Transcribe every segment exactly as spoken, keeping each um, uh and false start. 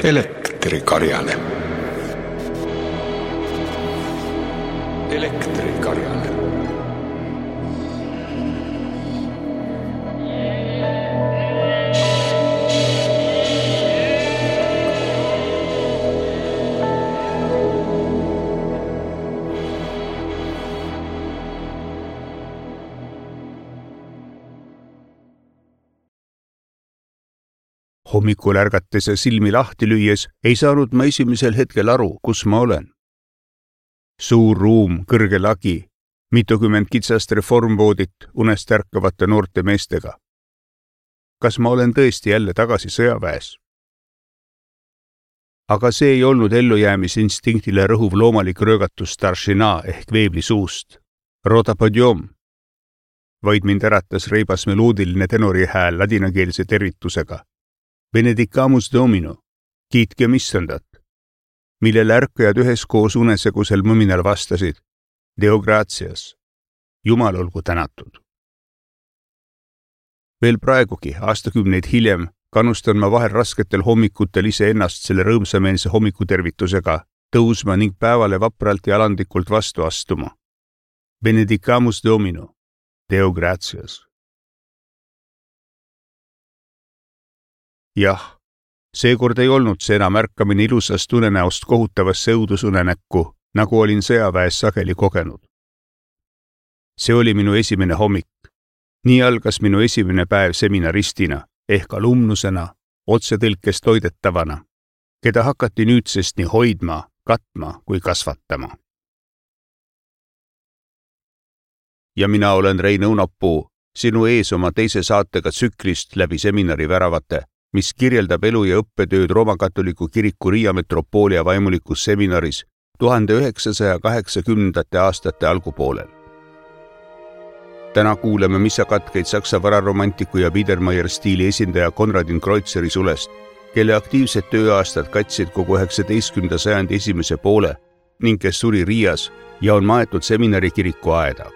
Elektrikarjane. Elektrikarjane. Hommikul ärgates ja silmi lahti lüües ei saanud ma esimesel hetkel aru, kus ma olen. Suur ruum, kõrge lagi, mitukümmend kitsast reformvoodit unest ärkavate noorte meestega. Kas ma olen tõesti jälle tagasi sõjaväes? Aga see ei olnud ellujäämisinstinkile rõhuv loomalik röögatus staršina ehk veebli suust. Roda podjom. Vaid mind äratas reibas meloodiline tenori hääl ladinakeelse tervitusega. Benedicamus Domino, kiitke missandat, millele ärkajad üheskoos unesegusel mõminal vastasid, Deo gratias, Jumal olgu tänatud. Veel praegugi, aastakümneid hiljem, kannustan ma vahel rasketel hommikutel ise ennast selle rõõmsameelse hommikutervitusega tõusma ning päevale vapralt ja alandlikult vastu astuma. Benedicamus Domino, Deo gratias. Jah, seekord ei olnud see enam ärkamine ilusast unenäost kohutavasse õudusunenäkku, nagu olin sõjaväes sageli kogenud. See oli minu esimene hommik. Nii algas minu esimene päev seminaristina ehk alumnusena, otsetõlkes toidetavana, keda hakati nüüdsest nii hoidma, katma kui kasvatama. Ja mina olen Rein Õunapuu, sinu ees oma teise saatega tsüklist läbi seminari väravate, mis kirjeldab elu ja õppetööd Roomakatoliku kiriku Riia metropoolia vaimulikus seminaris tuhande üheksasaja kaheksakümnendate aastate algupoolel. Täna kuuleme missakatkeid saksa vararomantiku ja Biedermeier stiili esindaja Konradin Kreutzeri sulest, kelle aktiivsed tööaastad katsid kogu üheksateistkümnenda sajandi esimese poole ning kes suri Riias ja on maetud seminari kiriku aeda.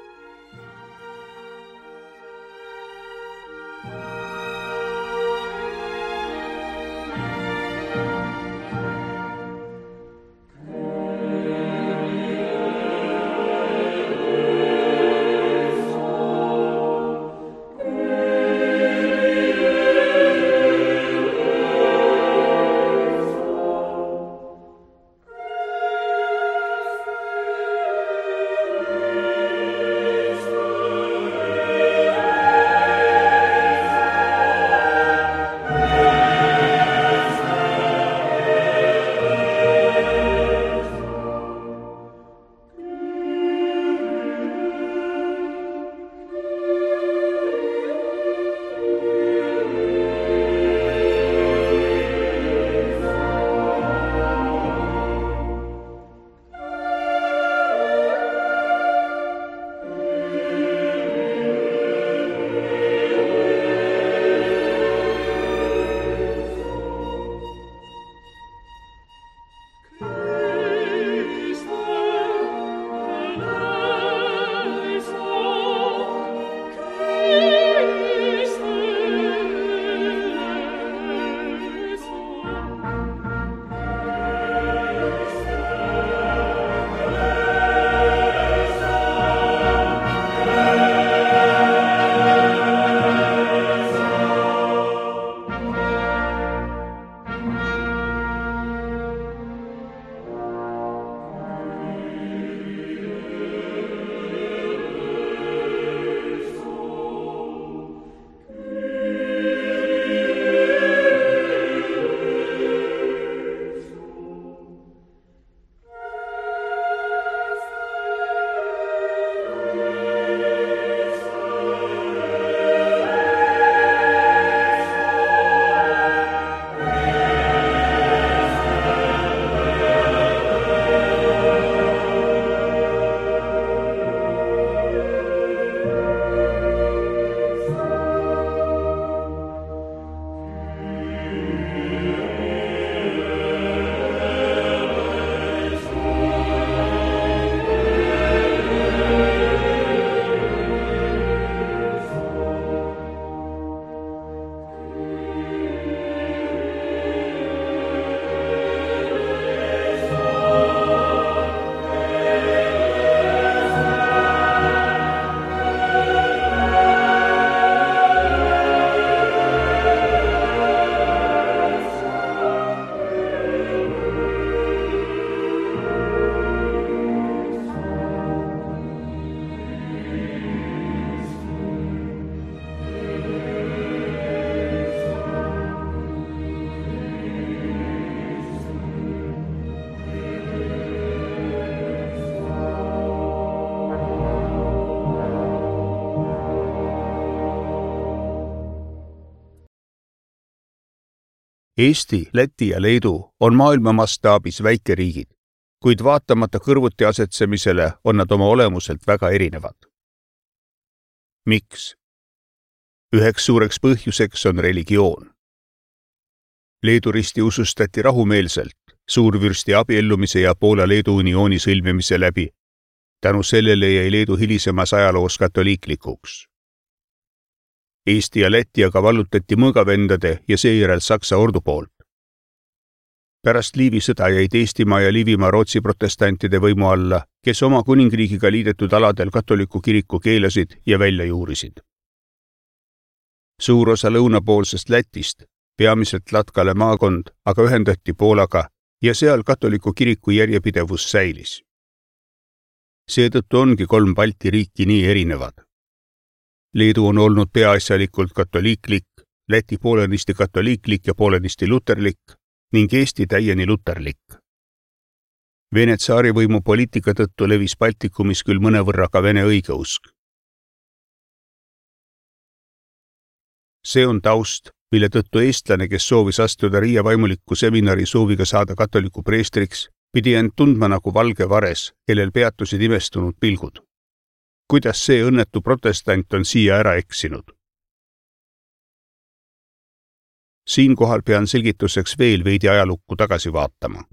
Eesti, Läti ja Leedu on maailma mastaabis väikeriigid, kuid vaatamata kõrvuti asetsemisele on nad oma olemuselt väga erinevad. Miks? Üheks suureks põhjuseks on religioon. Leedu risti usustati rahumeelselt suurvürsti abiellumise ja Poola-Leedu uniooni sõlmimise läbi. Tänu sellele jäi Leedu hilisemas ajaloos katoliiklikuks. Eesti ja Läti aga vallutati mõõgavendade ja seejärel Saksa ordu poolt. Pärast Liivi sõda jäid Eestimaa ja Liivimaa Rootsi protestantide võimu alla, kes oma kuningriigiga liidetud aladel katoliku kiriku keelasid ja välja juurisid. Suur osa lõunapoolsest Lätist, peamiselt Latkale maakond, aga ühendati Poolaga ja seal katoliku kiriku järjepidevus säilis. Seetõttu ongi kolm Balti riiki nii erinevad. Leedu on olnud peaasjalikult katoliiklik, Läti poolenisti katoliiklik ja poolenisti luterlik ning Eesti täieni luterlik. Vene tsaarivõimu poliitika tõttu levis Baltikumis küll mõnevõrra ka vene õigeusk. See on taust, mille tõttu eestlane, kes soovis astuda Riia vaimuliku seminari sooviga saada katoliku preestriks, pidi end tundma nagu valge vares, kellel peatusid imestunud pilgud. Kuidas see õnnetu protestant on siia ära eksinud? Siinkohal pean selgituseks veel veidi ajalukku tagasi vaatama.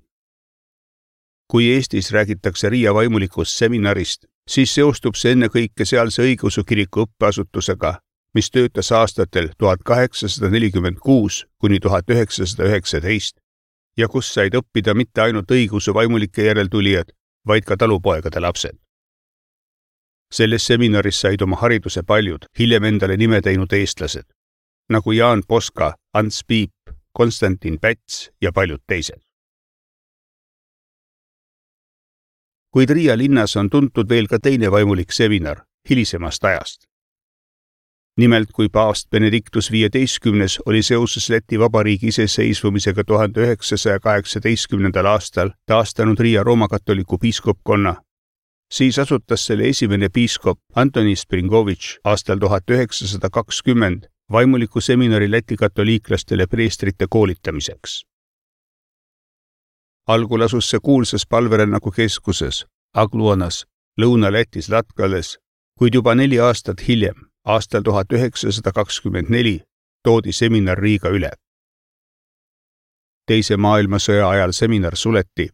Kui Eestis räägitakse Riia vaimulikust seminarist, siis seostub see ennekõike sealse õigeusu kiriku õppeasutusega, mis töötas aastatel tuhat kaheksasada nelikümmend kuus kuni tuhat üheksasada üheksateist ja kus said õppida mitte ainult õigeusu vaimulike järeltulijad, vaid ka talupoegade lapsed. Selles seminaris said oma hariduse paljud hiljem endale nime teinud eestlased, nagu Jaan Poska, Ants Piip, Konstantin Päts ja paljud teised. Kuid Riia linnas on tuntud veel ka teine vaimulik seminar hilisemast ajast. Nimelt, kui paavst Benedictus viieteistkümnes oli seoses Läti Vabariigi iseseisvumisega tuhande üheksasaja kaheksateistkümnendal aastal taastanud Riia roomakatoliku piiskopkonna, siis asutas selle esimene piiskop Antoni Springovitš aastal tuhat üheksasada kakskümmend vaimuliku seminari Läti katoliiklastele preestrite koolitamiseks. Algul asus see kuulsas palverännaku keskuses, Agluonas, Lõuna-Lätis Latkales, kuid juba neli aastat hiljem, aastal tuhat üheksasada kakskümmend neli, toodi seminar Riiga üle. Teise maailmasõja ajal seminar suleti.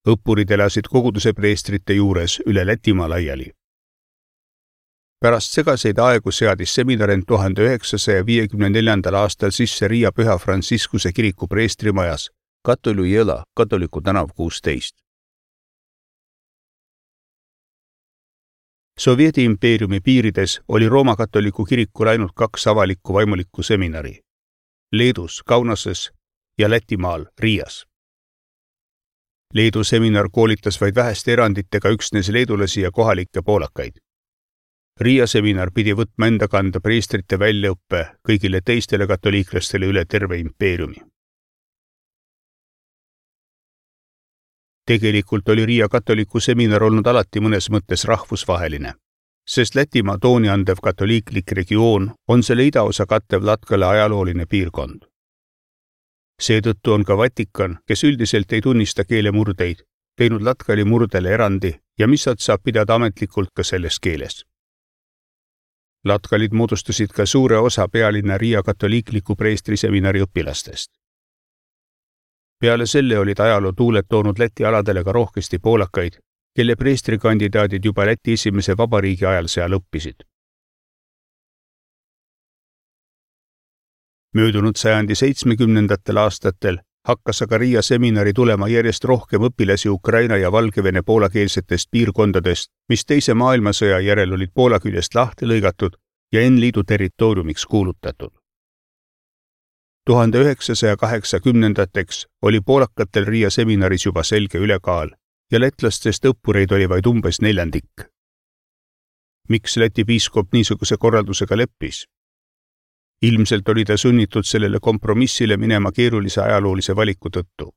Õppurid elasid koguduse preestrite juures üle Lätimaa laiali. Pärast segaseid aegu seadis seminar end tuhande üheksasaja viiekümne neljandal aastal sisse Riia Püha Franciscuse kiriku preestrimajas, Katolu Jõla, Katoliku tänav kuusteist. Sovieti impeeriumi piirides oli Rooma katoliku kirikul ainult kaks avalikku vaimulikku seminari, Leedus Kaunases ja Lätimaal Riias. Leedu seminar koolitas vaid väheste eranditega üksnes leedulasi ja kohalikke poolakaid. Riia seminar pidi võtma enda kanda preestrite väljaõppe kõigile teistele katoliiklastele üle terve impeeriumi. Tegelikult oli Riia katoliku seminar olnud alati mõnes mõttes rahvusvaheline, sest Lätimaa tooni andev katoliiklik regioon on selle idaosa kattev Latkale ajalooline piirkond. Seetõttu on ka Vatikan, kes üldiselt ei tunnista keelemurdeid, teinud Latkali murdele erandi ja missat saab pidada ametlikult ka selles keeles. Latkalid moodustasid ka suure osa pealinna Riia katoliikliku preestriseminari õpilastest. Peale selle olid ajaloo tuuled toonud Läti aladele ka rohkesti poolakaid, kelle preestrikandidaadid juba Läti esimese vabariigi ajal seal õppisid. Möödunud sajandi seitsmekümnendatel aastatel hakkas aga Riia seminari tulema järjest rohkem õpilasi Ukraina ja Valgevene poolakeelsetest piirkondadest, mis teise maailmasõja järel olid Poola küljest lahti lõigatud ja N liidu territooriumiks kuulutatud. tuhande üheksasaja kaheksakümnendateks oli poolakatel Riia seminaris juba selge ülekaal ja lätlastest õppureid oli vaid umbes neljandik. Miks Läti piiskop niisuguse korraldusega leppis? Ilmselt oli ta sunnitud sellele kompromissile minema keerulise ajaloolise valiku tõttu.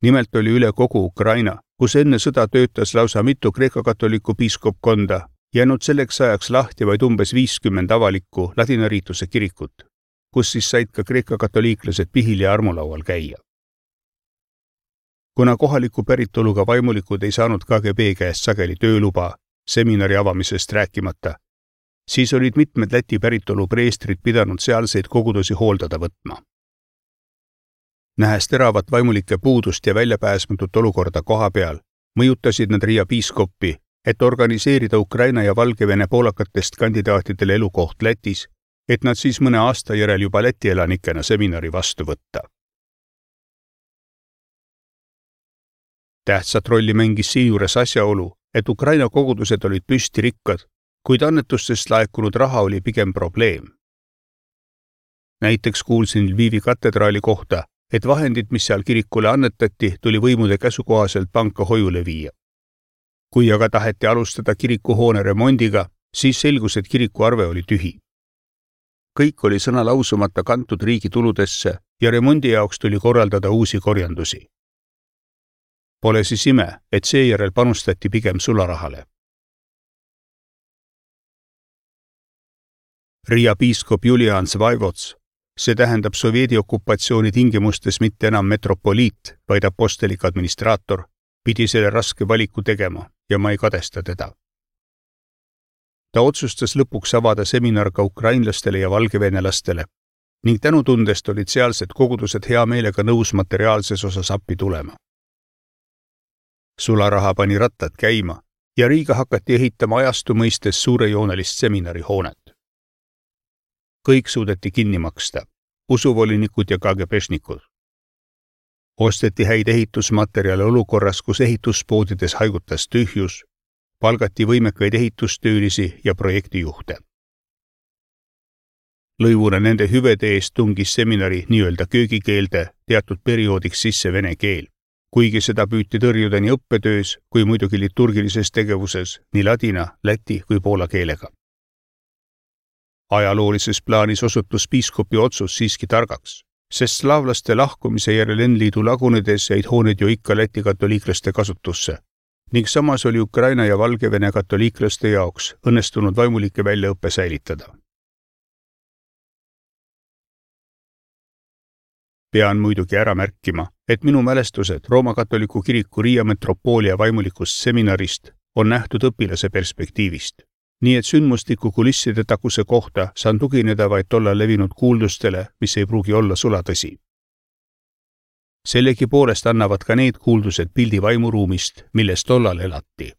Nimelt oli üle kogu Ukraina, kus enne sõda töötas lausa mitu Kreeka katoliku piiskopkonda, jäänud selleks ajaks lahti vaid umbes viiskümmend avalikku ladinariituse kirikut, kus siis said ka Kreeka katoliiklased pihil ja armulaual käia. Kuna kohaliku päritoluga vaimulikud ei saanud K G B käest sageli tööluba, seminari avamisest rääkimata, siis olid mitmed Läti päritolu preestrid pidanud sealseid kogudusi hooldada võtma. Nähes teravat vaimulike puudust ja väljapääsmatut olukorda koha peal, mõjutasid nad Riia piiskoppi, et organiseerida Ukraina ja Valgevene poolakatest kandidaatidele elukoht Lätis, et nad siis mõne aasta järel juba Läti elanikena seminari vastu võtta. Tähtsat rolli mängis siinjuures asjaolu, et Ukraina kogudused olid püsti rikkad, kuid annetustest laekunud raha oli pigem probleem. Näiteks kuulsin Lvivi katedraali kohta, et vahendid, mis seal kirikule annetati, tuli võimude käsukohaselt panka hoiule viia. Kui aga taheti alustada kirikuhoone remondiga, siis selgus, et kiriku arve oli tühi. Kõik oli sõna lausumata kantud riigi tuludesse ja remondi jaoks tuli korraldada uusi korjandusi. Pole siis ime, et seejärel panustati pigem sularahale. Riia piiskop Julian Svaivots, see tähendab Sovieti okupatsiooni tingimustes mitte enam metropoliit, vaid apostelik administraator, pidi selle raske valiku tegema ja ma ei kadesta teda. Ta otsustas lõpuks avada seminar ka ukrainlastele ja valgevenelastele ning tänutundest olid sealsed kogudused hea meelega nõus materiaalses osas appi tulema. Sularaha pani rattad käima ja Riiga hakati ehitama ajastu mõistes suurejoonelist seminarihoonet. Kõik suudeti kinni maksta, usuvolinikud ja K G B-šnikud. Osteti häid ehitusmaterjale olukorras, kus ehituspoodides haigutas tühjus, palgati võimekaid ehitustöölisi ja projektijuhte. Lõivuna nende hüvede eest tungis seminari nii-öelda köögikeelde teatud perioodiks sisse vene keel, kuigi seda püüti tõrjuda nii õppetöös kui muidugi liturgilises tegevuses nii ladina, läti kui poola keelega. Ajaloolises plaanis osutus piiskopi otsus siiski targaks, sest slaavlaste lahkumise järel N liidu lagunedes jäid hooned ju ikka Läti katoliiklaste kasutusse ning samas oli Ukraina ja Valgevene katoliiklaste jaoks õnnestunud vaimulike väljaõppe säilitada. Pean muidugi ära märkima, et minu mälestused Rooma katoliku kiriku Riia metropoolia vaimulikust seminarist on nähtud õpilase perspektiivist. Nii et sündmustiku kulisside takuse kohta saan tugineda vaid tolla levinud kuuldustele, mis ei pruugi olla sulatõsi. Sellegi poolest annavad ka need kuuldused pildi vaimuruumist, milles tollal elati.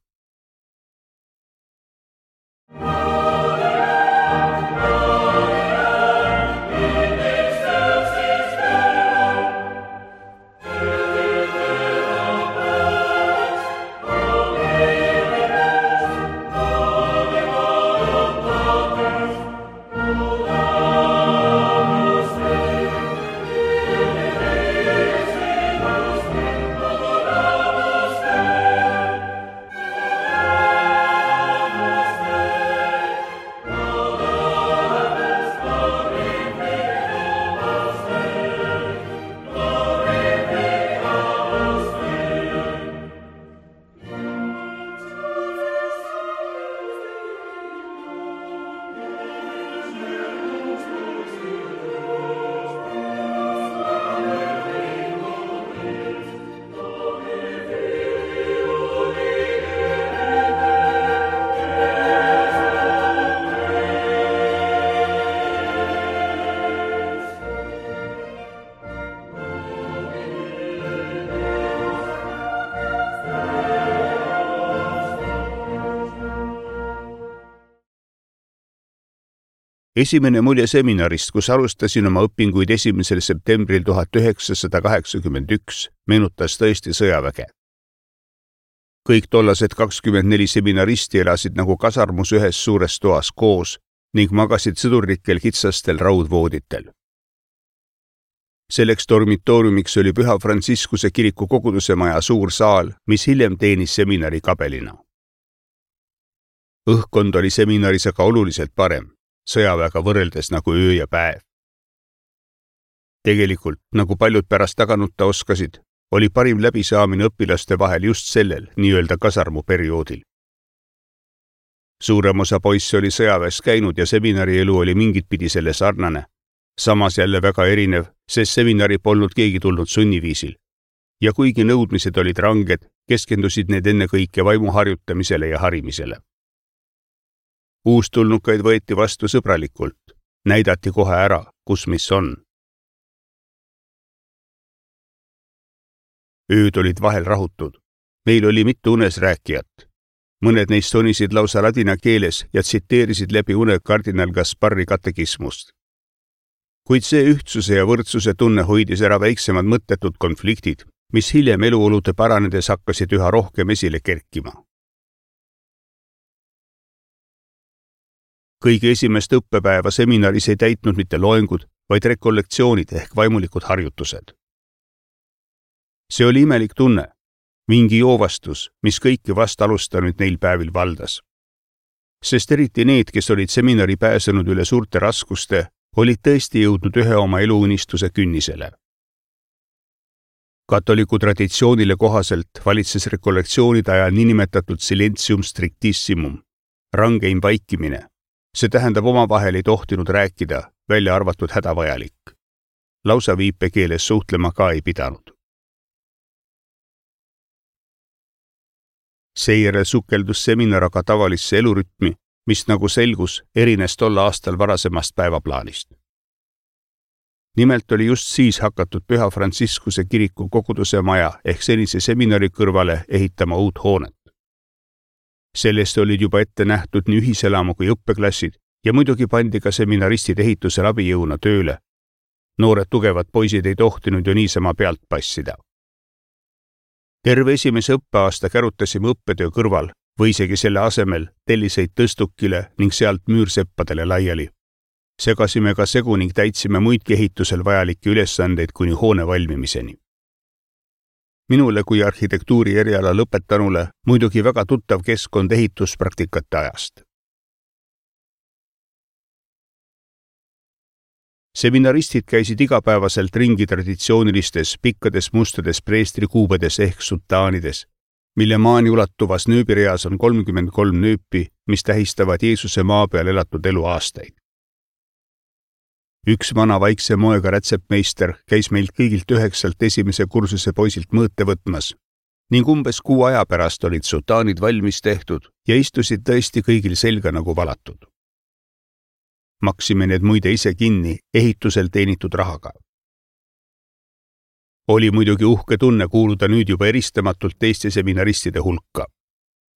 Esimene mulje seminarist, kus alustasin oma õpinguid esimesel septembril tuhat üheksasada kaheksakümmend üks, meenutas tõesti sõjaväge. Kõik tollased kakskümmend neli seminaristi elasid nagu kasarmus ühes suures toas koos ning magasid sõdurlikel kitsastel raudvooditel. Selleks dormitooriumiks oli Püha Franciscuse kiriku koguduse maja suur saal, mis hiljem teenis seminari kabelina. Õhkkond oli seminaris aga oluliselt parem, sõjaväega võrreldes nagu öö ja päev. Tegelikult, nagu paljud pärast taganutta oskasid, oli parim läbisaamine õpilaste vahel just sellel nii-öelda kasarmu perioodil. Suurem osa poisse oli sõjaväes käinud ja seminari elu oli mingit pidi selle sarnane, samas jälle väga erinev, sest seminari polnud keegi tulnud sunniviisil. Ja kuigi nõudmised olid ranged, keskendusid need ennekõike vaimu harjutamisele ja harimisele. Uustulnukaid võeti vastu sõbralikult, näidati kohe ära, kus mis on. Ööd olid vahel rahutud. Meil oli mitu unes rääkijat. Mõned neist sonisid lausa ladina keeles ja tsiteerisid läbi une kardinal Gasparri katekismust. Kuid see ühtsuse ja võrdsuse tunne hoidis ära väiksemad mõttetud konfliktid, mis hiljem eluolude paranedes hakkasid üha rohkem esile kerkima. Kõige esimest õppepäeva seminaris ei täitnud mitte loengud, vaid rekollektsioonid ehk vaimulikud harjutused. See oli imelik tunne, mingi joovastus, mis kõiki vast alustanud neil päevil valdas. Sest eriti need, kes olid seminari pääsenud üle suurte raskuste, olid tõesti jõudnud ühe oma eluunistuse künnisele. Katoliku traditsioonile kohaselt valitses rekollektsioonide ajal niinimetatud silentium strictissimum, rangeim vaikimine. See tähendab omavahel ei tohtinud rääkida, välja arvatud hädavajalik. Lausa viipekeeles suhtlema ka ei pidanud. Seejärel sukeldus seminar aga tavalisse elurütmi, mis nagu selgus, erines tol aastal varasemast päevaplaanist. Nimelt oli just siis hakatud Püha Franciscuse kiriku koguduse maja ehk senise seminari kõrvale ehitama uut hoonet. Sellest olid juba ette nähtud nii ühiselamu kui õppeklassid ja muidugi pandi ka seminaristid ehitusel abijõuna tööle. Noored tugevad poisid ei tohtinud ju niisama pealt passida. Terve esimese õppeaasta kärutasime õppetöö kõrval või isegi selle asemel telliseid tõstukile ning sealt müürseppadele laiali. Segasime ka segu ning täitsime muidki ehitusel vajalikke ülesandeid kuni hoone valmimiseni. Minule kui arhitektuuri eriala lõpetanule muidugi väga tuttav keskkond ehituspraktikate ajast. Seminaristid käisid igapäevaselt ringi traditsioonilistes pikkades mustades preestrikuubedes ehk sutaanides, mille maani ulatuvas nööbireas on kolmkümmend kolm nööpi, mis tähistavad Jeesuse maa peal elatud eluaastaid. Üks vana vaikse moega rätsepmeister käis meilt kõigilt üheksalt esimese kursuse poisilt mõõte võtmas ning umbes kuu aja pärast olid sutaanid valmis tehtud ja istusid tõesti kõigil selga nagu valatud. Maksime need muide ise kinni ehitusel teenitud rahaga. Oli muidugi uhke tunne kuuluda nüüd juba eristamatult teiste seminaristide hulka.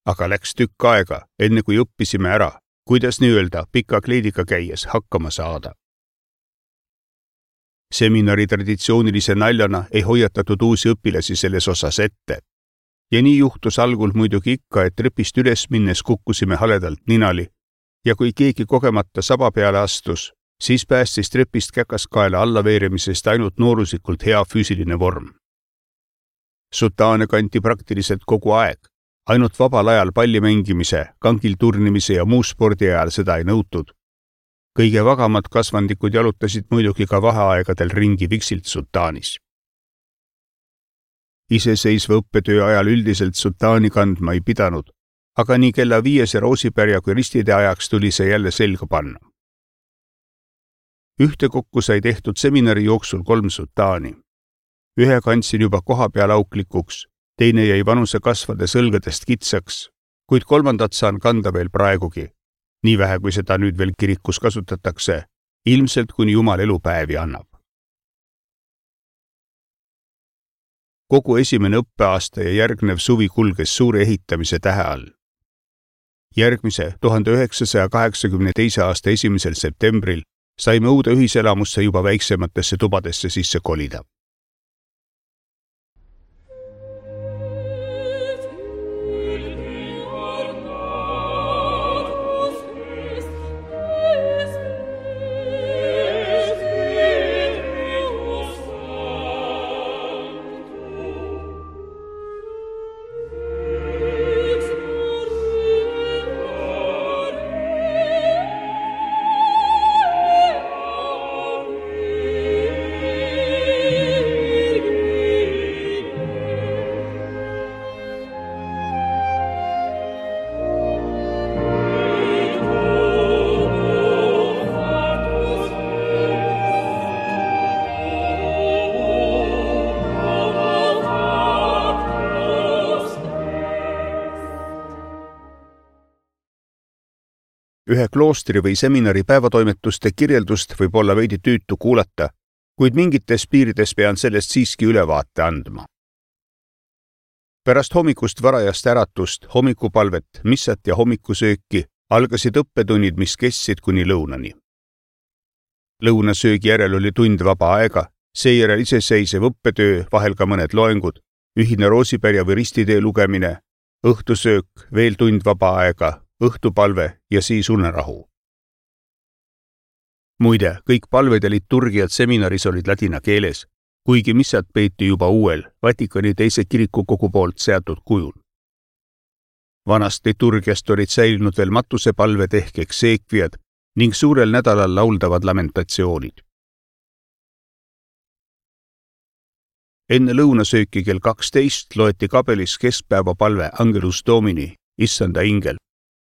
Aga läks tükk aega, enne kui õppisime ära, kuidas nii-öelda pika kleediga käies hakkama saada. Seminari traditsioonilise naljana ei hoiatatud uusi õpilasi selles osas ette. Ja nii juhtus algul muidugi ikka, et trepist üles minnes kukkusime haledalt ninali ja kui keegi kogemata saba peale astus, siis päästis trepist käkaskaela allaveeremisest ainult nooruslikult hea füüsiline vorm. Sutaane kanti praktiliselt kogu aeg, ainult vabal ajal palli mängimise, kangil turnimise ja muu spordi ajal seda ei nõutud. Kõige vagamad kasvandikud jalutasid muidugi ka vaheaegadel ringi viksilt sutaanis. Iseseisva õppetöö ajal üldiselt sutaani kandma ei pidanud, aga nii kella viiese roosipärja kui ristide ajaks tuli see jälle selga panna. Ühtekokku sai tehtud seminari jooksul kolm sutaani. Ühe kandsin juba koha peal auklikuks, teine jäi vanuse kasvades õlgadest kitsaks, kuid kolmandat saan kanda veel praegugi, nii vähe kui seda nüüd veel kirikus kasutatakse, ilmselt kuni Jumal elupäevi annab. Kogu esimene õppeaasta ja järgnev suvi kulges suure ehitamise tähe all. Järgmise tuhande üheksasaja kaheksakümne teise aasta esimesel septembril saime uude ühiselamusse juba väiksematesse tubadesse sisse kolida. Yeah. ühe kloostri või seminari päevatoimetuste kirjeldust võib olla veidi tüütu kuulata, kuid mingites piirides pean sellest siiski ülevaate andma. Pärast hommikust varajast äratust, hommikupalvet, missat ja hommikusööki algasid õppetunnid, mis kestsid kuni lõunani. Lõunasöögi järel oli tund vaba aega, seejärel iseseisev õppetöö, vahel ka mõned loengud, ühine roosipärja või ristitee lugemine, õhtusöök, veel tund vaba aega, õhtupalve ja siis unerahu. Muide, kõik palved ja liturgiad seminaris olid ladina keeles, kuigi missad peeti juba uuel, Vatikani teise kirikukogu poolt seatud kujul. Vanast liturgiast olid säilinud veel matusepalved ehk ekseekviad ning suurel nädalal lauldavad lamentatsioonid. Enne lõunasööki kell kaksteist loeti kabelis keskpäeva palve Angelus Domini, issanda ingel,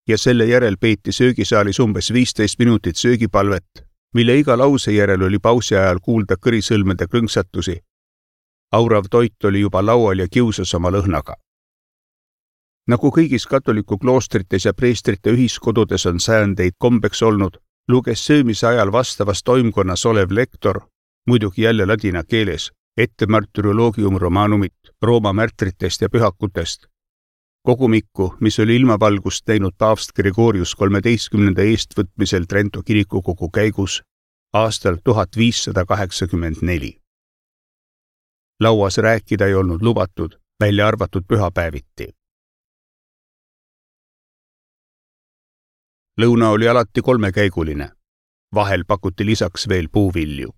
ja selle järel peeti söögisaalis umbes viisteist minutit söögipalvet, mille iga lause järel oli pausi ajal kuulda kõrisõlmede krõnksatusi. Aurav toit oli juba laual ja kiusas oma lõhnaga. Nagu kõigis katoliku kloostrites ja preestrite ühiskodudes on säändeid kombeks olnud, luges söömise ajal vastavas toimkonnas olev lektor, muidugi jälle ladina keeles, ette Martyrologium Romanumit, Rooma märtritest ja pühakutest. Kogumikku, mis oli ilmavalgust näinud paavst Gregorius kolmeteistkümnenda eestvõtmisel Trento kirikukogu käigus aastal tuhat viissada kaheksakümmend neli. Lauas rääkida ei olnud lubatud, välja arvatud pühapäeviti. Lõuna oli alati kolmekäiguline. Vahel pakuti lisaks veel puuvilju.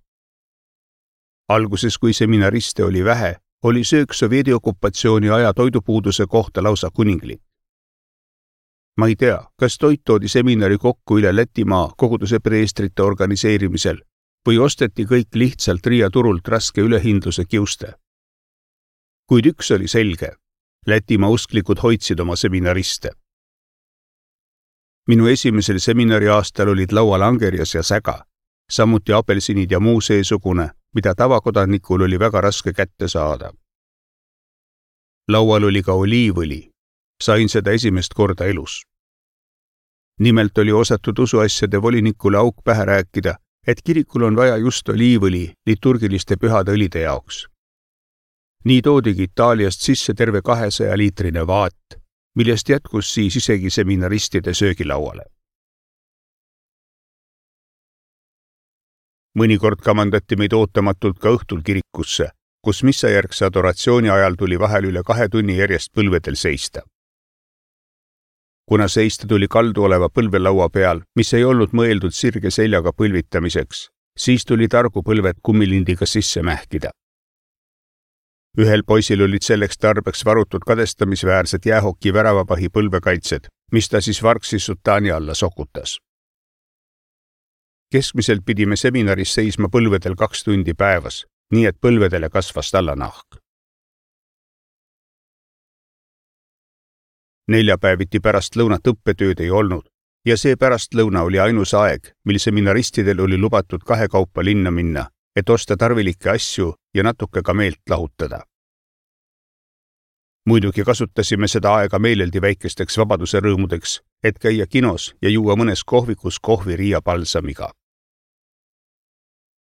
Alguses, kui seminariste oli vähe, oli söök Sovjeti okupatsiooni aja toidupuuduse kohta lausa kuninglik. Ma ei tea, kas toit toodi seminari kokku üle Lätimaa koguduse preestrite organiseerimisel või osteti kõik lihtsalt Riia turult raske ülehindluse kiuste. Kuid üks oli selge, Lätimaa usklikud hoidsid oma seminariste. Minu esimesel seminari aastal olid laual angerjas ja säga, samuti apelsinid ja muu seesugune, mida tavakodanikul oli väga raske kätte saada. Laual oli ka oliivõli. Sain seda esimest korda elus. Nimelt oli osatud usuasjade volinikule auk pähe rääkida, et kirikul on vaja just oliivõli liturgiliste pühade õlide jaoks. Nii toodigi Itaaliast sisse terve kahesaja liitrine vaat, millest jätkus siis isegi seminaristide söögilauale. Mõnikord kamandati meid ootamatult ka õhtul kirikusse, kus missajärgse adoratsiooni ajal tuli vahel üle kahe tunni järjest põlvedel seista. Kuna seista tuli kaldu oleva põlvelaua peal, mis ei olnud mõeldud sirge seljaga põlvitamiseks, siis tuli targu põlved kummilindiga sisse mähkida. Ühel poisil olid selleks tarbeks varutud kadestamisväärsed jäähoki väravapahi põlvekaitsed, mis ta siis vargsi sutaani alla sokutas. Keskmiselt pidime seminaris seisma põlvedel kaks tundi päevas, nii et põlvedele kasvas tallanahk. Neljapäeviti pärast lõunat õppetööd ei olnud ja see pärastlõuna oli ainus aeg, mil seminaristidel oli lubatud kahekaupa linna minna, et osta tarvilikke asju ja natuke ka meelt lahutada. Muidugi kasutasime seda aega meeleldi väikesteks vabaduse rõõmudeks, et käia kinos ja juua mõnes kohvikus kohvi Riia palsamiga.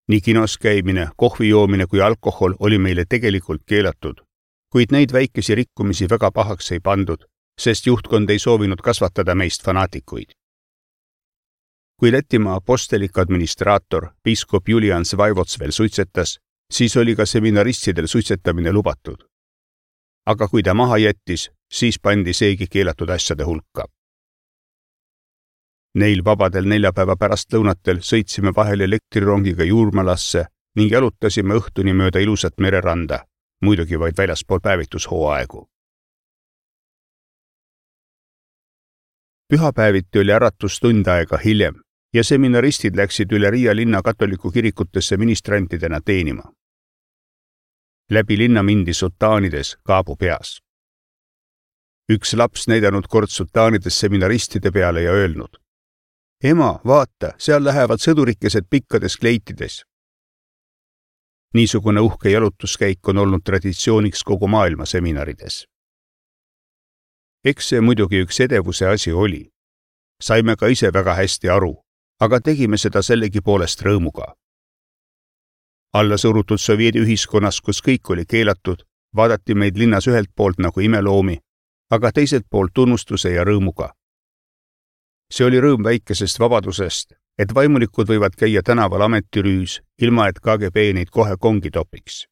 Nii kinos käimine, kohvi joomine kui alkohol oli meile tegelikult keelatud, kuid neid väikesi rikkumisi väga pahaks ei pandud, sest juhtkond ei soovinud kasvatada meist fanaatikuid. Kui Lätimaa apostelik administraator, piiskop Julian Svaivots veel suitsetas, siis oli ka seminaristidel suitsetamine lubatud. Aga kui ta maha jättis, siis pandi seegi keelatud asjade hulka. Neil vabadel neljapäeva pärastlõunatel sõitsime vahel elektrirongiga Juurmalasse ning jalutasime õhtuni mööda ilusat mereranda, muidugi vaid väljaspool päevitushooaegu. Pühapäeviti oli äratus tund aega hiljem ja seminaristid läksid üle Riia linna katoliku kirikutesse ministrantidena teenima. Läbi linna mindi sutaanides kaabu peas. Üks laps näidanud kord sutaanides seminaristide peale ja öelnud: "Ema, vaata, seal lähevad sõdurikesed pikkades kleitides." Niisugune uhke jalutuskäik on olnud traditsiooniks kogu maailma seminarides. Eks see muidugi üks edevuse asi oli. saime ka ise väga hästi aru, aga tegime seda sellegi poolest rõõmuga. Alla surutud sovjeedi ühiskonnas, kus kõik oli keelatud, vaadati meid linnas ühelt poolt nagu imeloomi, aga teiselt poolt tunnustuse ja rõõmuga. See oli rõõm väikesest vabadusest, et vaimulikud võivad käia tänaval ametirüüs, ilma et K G B neid kohe kongi topiks.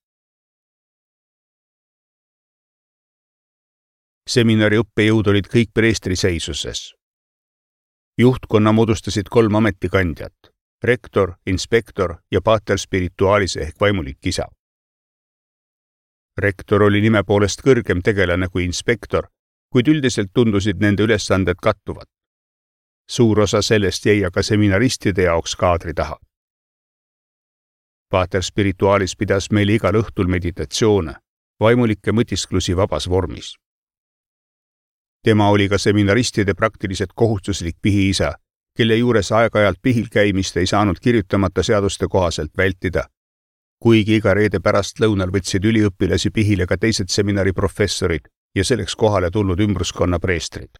Seminari õppejõud olid kõik preestri seisuses. Juhtkonna moodustasid kolm ametikandjat, rektor, inspektor ja pater spirituaalis ehk vaimulik isa. Rektor oli nime poolest kõrgem tegelane kui inspektor, kuid üldiselt tundusid nende ülesanded kattuvad. Suur osa sellest jäi aga seminaristide jaoks kaadri taha. Pater spirituaalis pidas meile igal õhtul meditatsioone, vaimulikke mõtisklusi vabas vormis. Tema oli ka seminaristide praktiliselt kohustuslik pihiisa, kelle juures aeg-ajalt pihil käimist ei saanud kirjutamata seaduste kohaselt vältida, kuigi iga reede pärast lõunal võtsid üliõpilasi pihile ka teised seminari professorid ja selleks kohale tulnud ümbruskonna preestrid.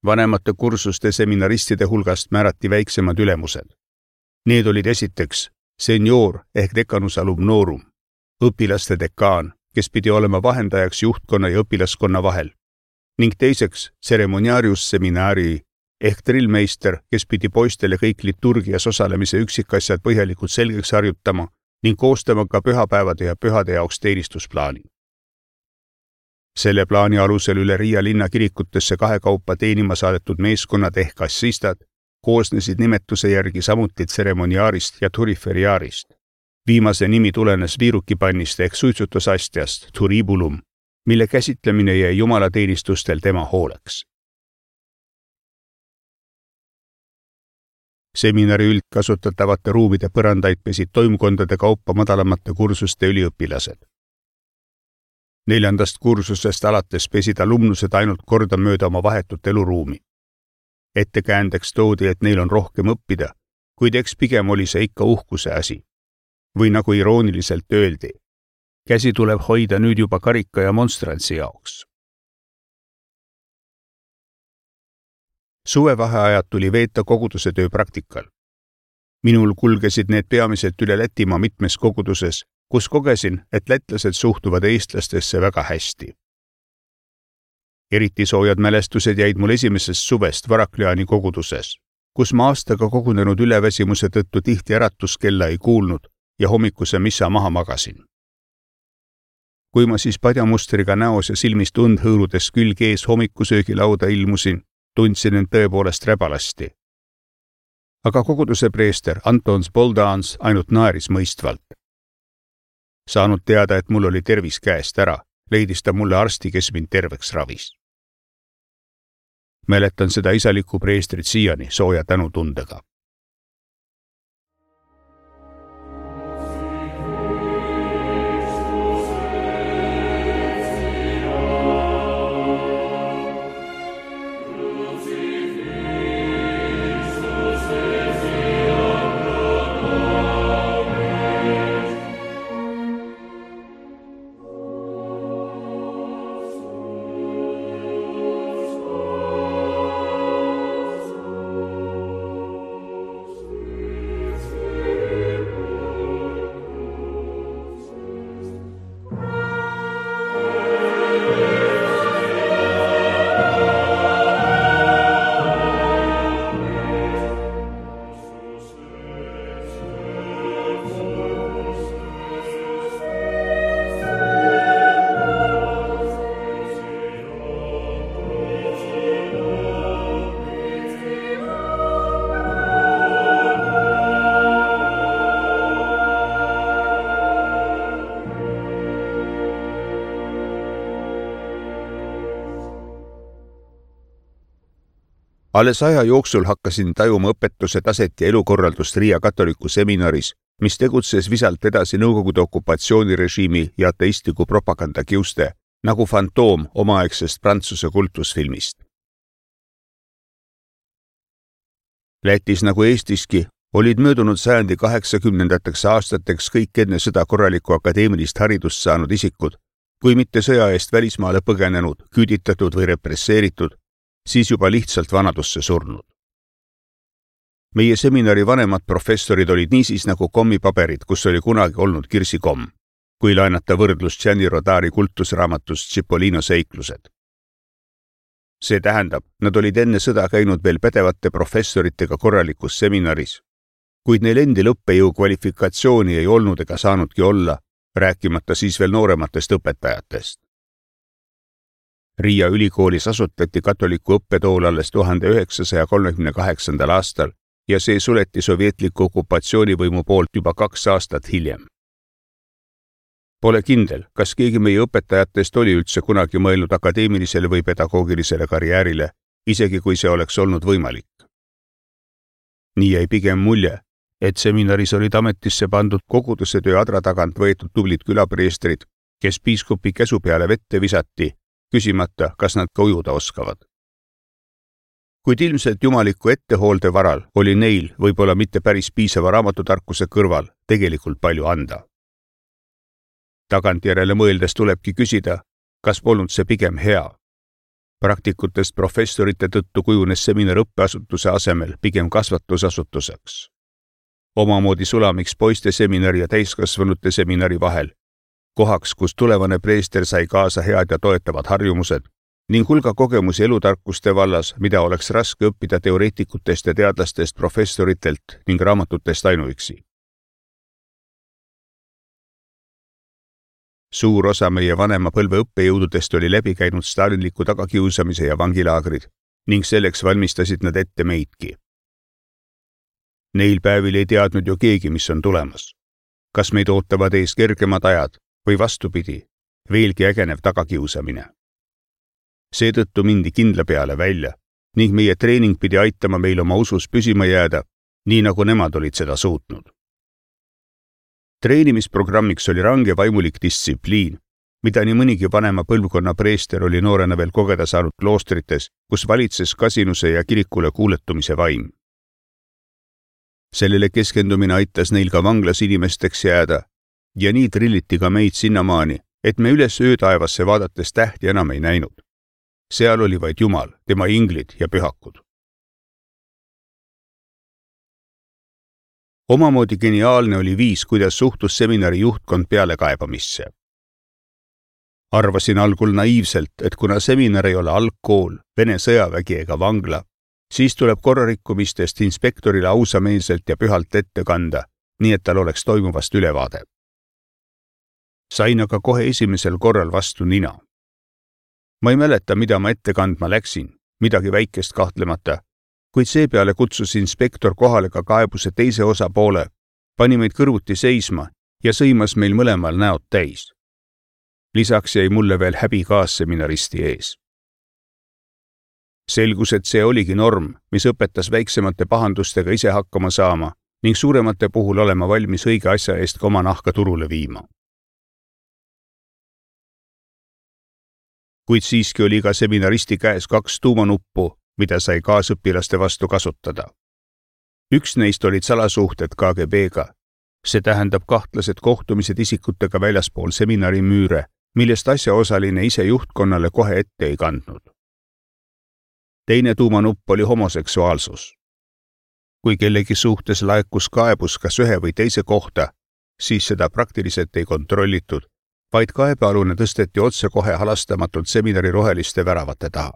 Vanemate kursuste seminaristide hulgast määrati väiksemad ülemused. Need olid esiteks senior ehk decanus alumnorum, õpilaste dekaan, kes pidi olema vahendajaks juhtkonna ja õpilaskonna vahel, ning teiseks ceremoniarius seminari ehk drillmeister, kes pidi poistele kõik liturgias osalemise üksikasjad põhjalikult selgeks harjutama ning koostama ka pühapäevade ja pühade jaoks teenistusplaani. Selle plaani alusel üle Riia linna kirikutesse kahekaupa teenima saadetud meeskonnad ehk assistad koosnesid nimetuse järgi samuti ceremoniaarist ja turiferiaarist. Viimase nimi tulenes viirukipannist ehk suitsutusastjast, turibulum, mille käsitlemine jäi jumalateenistustel tema hooleks. Seminari üldkasutatavate ruumide põrandaid pesid toimkondade kaupa madalamate kursuste üliõpilased. Neljandast kursusest alates pesid alumnused ainult korda mööda oma vahetut eluruumi. Ettekäändeks toodi, et neil on rohkem õppida, kuid eks pigem oli see ikka uhkuse asi. Või nagu irooniliselt öeldi, käsi tuleb hoida nüüd juba karika ja monstrantsi jaoks. Suvevaheajad tuli veeta koguduse töö praktikal. Minul kulgesid need peamiselt üle Lätimaa mitmes koguduses, kus kogesin, et lätlased suhtuvad eestlastesse väga hästi. Eriti soojad mälestused jäid mul esimesest suvest Varakliani koguduses, kus ma aastaga kogunenud üleväsimuse tõttu tihti äratuskella ei kuulnud ja hommikuse missa maha magasin. Kui ma siis padjamustriga näos ja silmist und hõõrudes külg ees hommikusöögilauda ilmusin, tundsin end tõepoolest räbalasti. Aga koguduse preester Antons Boldans ainult naeris mõistvalt. Saanud teada, et mul oli tervis käest ära, leidis ta mulle arsti, kes mind terveks ravis. Mäletan seda isalikku preestrit siiani sooja tänutundega. Alles aja jooksul hakkasin tajuma õpetuse taset ja elukorraldust Riia katoliku seminaris, mis tegutses visalt edasi Nõukogude okupatsioonirežiimi ja ateistliku propaganda kiuste, nagu fantoom omaaegsest Prantsuse kultusfilmist. Lätis nagu Eestiski olid möödunud sajandi kaheksakümnendateks aastateks kõik enne sõda korralikku akadeemilist haridust saanud isikud, kui mitte sõja eest välismaale põgenenud, küüditatud või represseeritud, siis juba lihtsalt vanadusse surnud. Meie seminari vanemad professorid olid niisiis nagu kommipaberid, kus oli kunagi olnud kirsikomm, kui laenata võrdlust Gianni Rodari kultusraamatust Cipollino seiklused. See tähendab, nad olid enne sõda käinud veel pädevate professoritega korralikus seminaris, kuid neil endil õppejõu kvalifikatsiooni ei olnud ega saanudki olla, rääkimata siis veel noorematest õpetajatest. Riia ülikoolis asutati katoliku õppetool alles tuhande üheksasaja kolmekümne kaheksandal aastal ja see suleti sovjetliku okupatsioonivõimu poolt juba kaks aastat hiljem. Pole kindel, kas keegi meie õpetajatest oli üldse kunagi mõelnud akadeemilisele või pedagoogilisele karjäärile, isegi kui see oleks olnud võimalik. Nii jäi pigem mulje, et seminaris olid ametisse pandud koguduse töö adra tagant võetud tublid külapreestrid, kes piiskopi käsu peale vette visati, küsimata, kas nad ka ujuda oskavad. Kuid ilmselt jumaliku ettehoolde varal oli neil võib-olla mitte päris piisava raamatutarkuse kõrval tegelikult palju anda. Tagantjärele mõeldes tulebki küsida, kas polnud see pigem hea. Praktikutest professorite tõttu kujunes seminar õppeasutuse asemel pigem kasvatusasutuseks. Omamoodi sulamiks poiste seminari ja täiskasvanute seminari vahel, kohaks, kus tulevane preester sai kaasa head ja toetavad harjumused ning hulga kogemusi elutarkuste vallas, mida oleks raske õppida teoreetikutest ja teadlastest professoritelt ning raamatutest ainuüksi. Suur osa meie vanema põlve õppejõududest oli läbi käinud stalinliku tagakiusamise ja vangilaagrid ning selleks valmistasid nad ette meidki. Neil päevil ei teadnud ju keegi, mis on tulemas. Kas meid ootavad ees kergemad ajad või vastupidi, veelgi ägenev tagakiusamine. Seetõttu mindi kindla peale välja ning meie treening pidi aitama meil oma usus püsima jääda, nii nagu nemad olid seda suutnud. Treenimisprogrammiks oli range vaimulik distsipliin, mida nii mõnigi vanema põlvkonna preester oli noorena veel kogeda saanud kloostrites, kus valitses kasinuse ja kirikule kuuletumise vaim. Sellele keskendumine aitas neil ka vanglas inimesteks jääda ja nii trilliti ka meid sinnamaani, et me üles öötaevasse vaadates tähti enam ei näinud. Seal oli vaid Jumal, tema inglid ja pühakud. Omamoodi geniaalne oli viis, kuidas suhtus seminari juhtkond pealekaebamisse. Arvasin algul naiivselt, et kuna seminar ei ole algkool, Vene sõjavägi ega vangla, siis tuleb korrarikkumistest inspektorile ausameelselt ja pühalt ette kanda, nii et tal oleks toimuvast ülevaade. Sain aga kohe esimesel korral vastu nina. Ma ei mäleta, mida ma ette kandma läksin, midagi väikest kahtlemata, kuid seepeale kutsus inspektor kohale ka kaebuse teise osapoole, pani meid kõrvuti seisma ja sõimas meil mõlemal näod täis. Lisaks jäi mulle veel häbi kaasseminaristi ees. Selgus, et see oligi norm, mis õpetas väiksemate pahandustega ise hakkama saama ning suuremate puhul olema valmis õige asja eest ka oma nahka turule viima. Kuid siiski oli ka seminaristi käes kaks tuumanuppu, mida sai kaasõpilaste vastu kasutada. Üks neist olid salasuhted K G B-ga, see tähendab kahtlased kohtumised isikutega väljaspool seminari müüre, millest asjaosaline ise juhtkonnale kohe ette ei kandnud. Teine tuumanupp oli homoseksuaalsus. Kui kellegi suhtes laekus kaebus kas ühe või teise kohta, siis seda praktiliselt ei kontrollitud, vaid kaebealune tõsteti otse kohe halastamatult seminari roheliste väravate taha.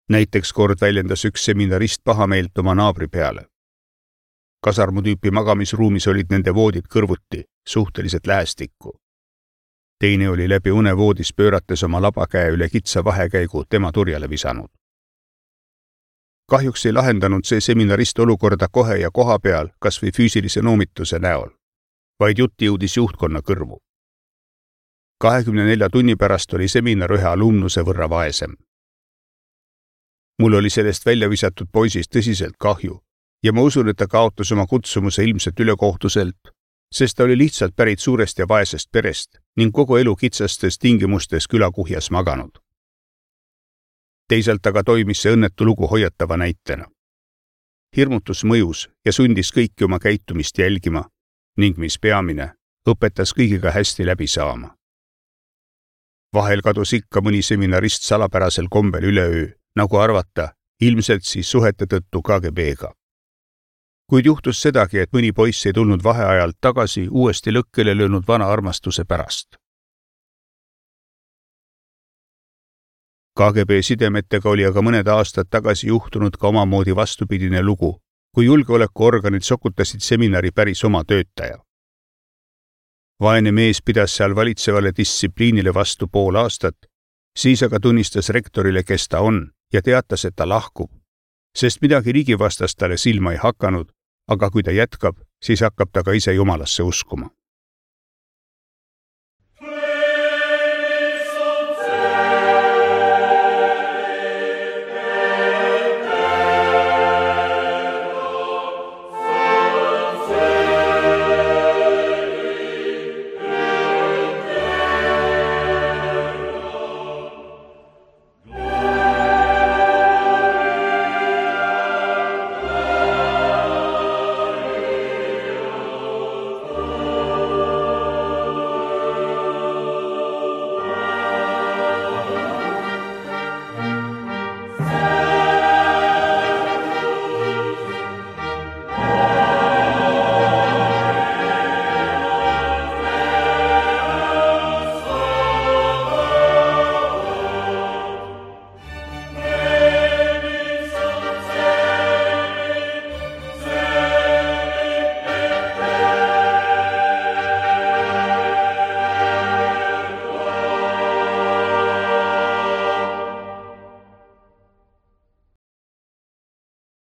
Näiteks kord väljendas üks seminarist pahameelt oma naabri peale. Kasarmutüüpi magamisruumis olid nende voodid kõrvuti, suhteliselt lähestikku. Teine oli läbi une voodis pöörates oma labakäe üle kitsa vahekäigu tema turjale visanud. Kahjuks ei lahendanud see seminarist olukorda kohe ja koha peal kas või füüsilise noomituse näol, vaid jutt jõudis juhtkonna kõrvu. kahekümne nelja tunni pärast oli seminar ühe alumnuse võrra vaesem. Mul oli sellest välja visatud poisist tõsiselt kahju ja ma usun, et ta kaotas oma kutsumuse ilmselt ülekohtuselt, sest ta oli lihtsalt pärit suurest ja vaesest perest ning kogu elu kitsastes tingimustes külakuhjas maganud. Teisalt aga toimis see õnnetu lugu hoiatava näitena. Hirmutus mõjus ja sundis kõiki oma käitumist jälgima ning mis peamine, õpetas kõigiga hästi läbi saama. Vahel kadus ikka mõni seminarist salapärasel kombel üleöö, nagu arvata, ilmselt siis suhete tõttu K G B-ga. Kuid juhtus sedagi, et mõni poiss ei tulnud vaheajalt tagasi uuesti lõkkele löönud vana armastuse pärast. K G B sidemetega oli aga mõned aastad tagasi juhtunud ka omamoodi vastupidine lugu, kui julgeolekuorganid sokutasid seminari päris oma töötaja. Vaene mees pidas seal valitsevale distsipliinile vastu pool aastat, siis aga tunnistas rektorile, kes ta on, ja teatas, et ta lahkub, sest midagi riigivastast talle silma ei hakanud, aga kui ta jätkab, siis hakkab ta ka ise jumalasse uskuma.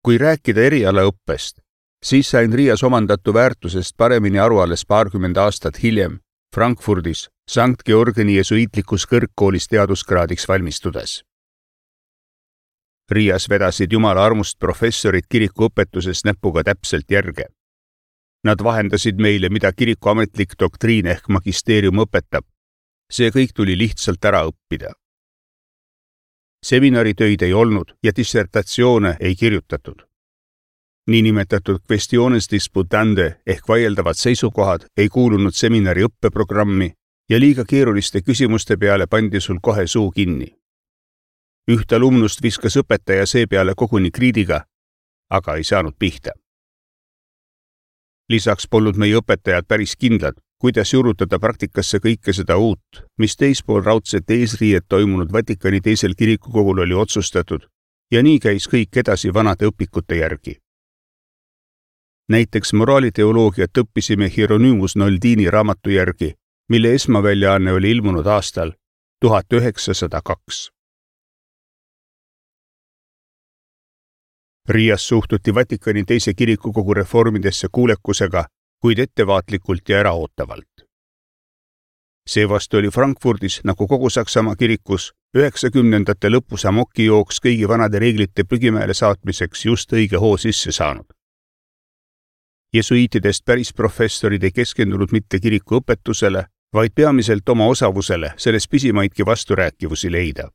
Kui rääkida erialaõppest, siis sain Riias omandatu väärtusest paremini aru alles paarkümmend aastat hiljem Frankfurdis Sankt Georgeni jesuiitlikus kõrgkoolis teaduskraadiks valmistudes. Riias vedasid jumala armust professorid kirikuõpetuses näpuga täpselt järge. Nad vahendasid meile, mida kiriku ametlik doktriin ehk magisteerium õpetab. See kõik tuli lihtsalt ära õppida. Seminaritöid ei olnud ja dissertatsioone ei kirjutatud. Niinimetatud questiones disputande ehk vaieldavad seisukohad ei kuulunud seminari õppeprogrammi ja liiga keeruliste küsimuste peale pandi sul kohe suu kinni. Üht alumnust viskas õpetaja seepeale koguni kriidiga, aga ei saanud pihta. Lisaks polnud meie õpetajad päris kindlad, kuidas jurutada praktikasse kõike seda uut, mis teispool raudset eesriiet toimunud Vatikani teisel kirikukogul oli otsustatud ja nii käis kõik edasi vanade õpikute järgi. Näiteks moraaliteoloogiat õppisime Hieronymus Noldini raamatu järgi, mille esmaväljaanne oli ilmunud aastal tuhat üheksasada kaks. Riias suhtuti Vatikani teise kirikukogu reformidesse kuulekusega, kuid ettevaatlikult ja äraootavalt. Seevastu oli Frankfurdis, nagu kogu Saksamaa kirikus, üheksakümnendate lõpus amokijooks kõigi vanade reeglite prügimäele saatmiseks just õige hoo sisse saanud. Jesuiitidest päris professorid ei keskendunud mitte kiriku õpetusele, vaid peamiselt oma osavusele selles pisimaidki vasturääkivusi leida.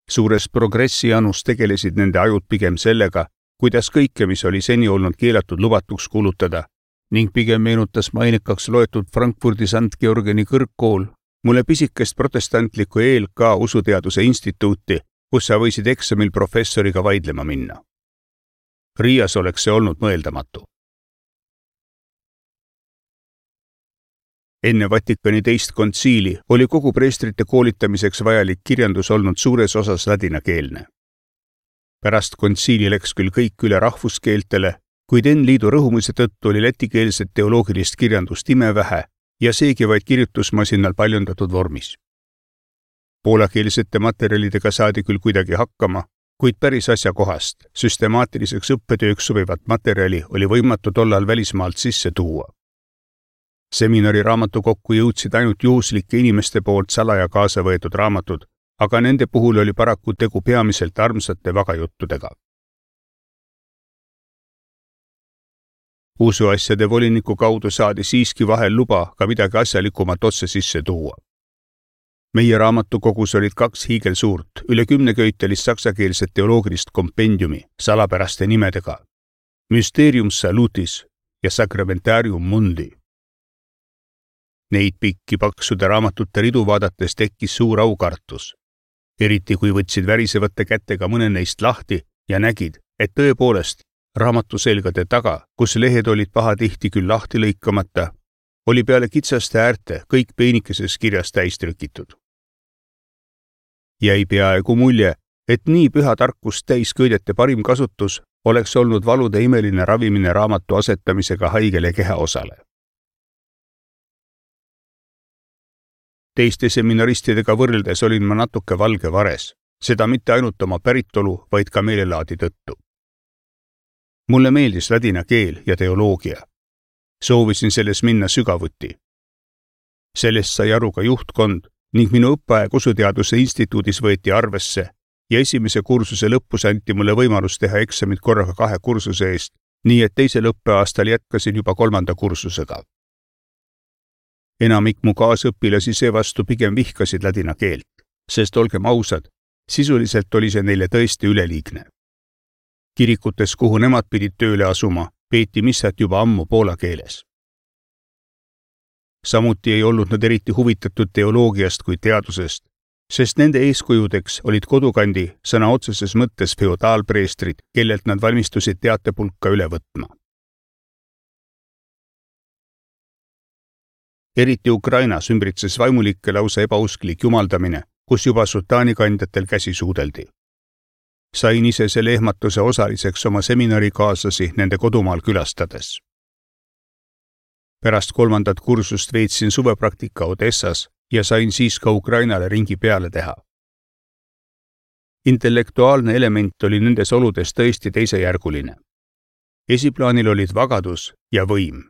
Suures progressi anus tegelesid nende ajud pigem sellega, kuidas kõike, mis oli seni olnud keelatud lubatuks kuulutada, ning pigem meenutas mainekaks loetud Frankfurdi Sankt Georgeni kõrgkool mulle pisikest protestantlikku E L K usuteaduse instituuti, kus sa võisid eksamil professoriga vaidlema minna. Riias oleks see olnud mõeldamatu. Enne Vatikani teist kontsiili oli kogu preestrite koolitamiseks vajalik kirjandus olnud suures osas ladinakeelne. Pärast kontsiili läks küll kõik üle rahvuskeeltele, kuid N-liidu rõhumise tõttu oli lätikeelset teoloogilist kirjandust imevähe ja seegi vaid kirjutusmasinal paljundatud vormis. Poolakeelsete materjalidega saadi küll kuidagi hakkama, kuid päris asjakohast, süstemaatiliseks õppetööks sobivat materjali oli võimatu tollal välismaalt sisse tuua. Seminari raamatu kokku jõudsid ainult juhuslike inimeste poolt salaja kaasa võetud raamatud, aga nende puhul oli paraku tegu peamiselt armsate vagajuttudega. Usuasjade voliniku kaudu saadi siiski vahel luba ka midagi asjalikumat otse sisse tuua. Meie raamatukogus olid kaks hiigelsuurt, üle kümneköitelist saksakeelset teoloogilist kompendiumi salapäraste nimedega Mysterium Salutis ja Sacramentarium Mundi. Neid pikki paksude raamatute ridu vaadates tekkis suur aukartus. Eriti kui võtsid värisevate kätega mõne neist lahti ja nägid, et tõepoolest raamatuselgade taga, kus lehed olid pahatihti küll lahti lõikamata, oli peale kitsaste äärte kõik peenikeses kirjas täis trükitud. Jäi peaaegu mulje, et nii püha tarkust täisköidete parim kasutus oleks olnud valude imeline ravimine raamatu asetamisega haigele kehaosale. Teiste seminaristidega võrreldes olin ma natuke valge vares, seda mitte ainult oma päritolu, vaid ka meelelaadi tõttu. Mulle meeldis ladina keel ja teoloogia. Soovisin selles minna sügavuti. Sellest sai aru ka juhtkond ning minu õppeaeg Usuteaduse instituudis võeti arvesse ja esimese kursuse lõpus anti mulle võimalus teha eksamid korraga kahe kursuse eest, nii et teisel õppeaastal jätkasin juba kolmanda kursusega. Enamik mu kaasõpilasi seevastu pigem vihkasid ladina keelt, sest olgem ausad, sisuliselt oli see neile tõesti üleliigne. Kirikutes, kuhu nemad pidid tööle asuma, peeti missat juba ammu poola keeles. Samuti ei olnud nad eriti huvitatud teoloogiast kui teadusest, sest nende eeskujudeks olid kodukandi sõna otseses mõttes feodaalpreestrid, kellelt nad valmistusid teatepulka üle võtma. Eriti Ukrainas ümbritses vaimulikke lausa ebausklik jumaldamine, kus juba sultaanikandjatel käsi suudeldi. Sain ise selle ehmatuse osaliseks oma seminarikaaslasi nende kodumaal külastades. Pärast kolmandat kursust veetsin suvepraktika Odessas ja sain siis ka Ukrainale ringi peale teha. Intellektuaalne element oli nendes oludes tõesti teisejärguline. Esiplaanil olid vagadus ja võim.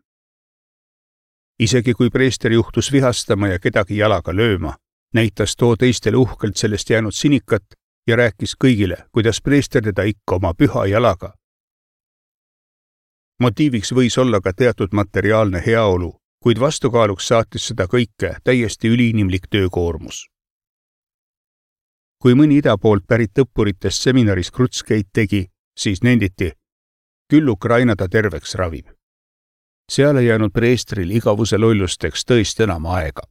Isegi kui preester juhtus vihastama ja kedagi jalaga lööma, näitas too teistele uhkelt sellest jäänud sinikat ja rääkis kõigile, kuidas preester teda ikka oma püha jalaga. Motiiviks võis olla ka teatud materiaalne heaolu, kuid vastukaaluks saatis seda kõike täiesti üliinimlik töökoormus. Kui mõni ida poolt pärit õppuritest seminaris krutskeid tegi, siis nenditi, küll Ukraina ta terveks ravib. Seal ei jäänud preestril igavuse lollusteks tõesti enam aega.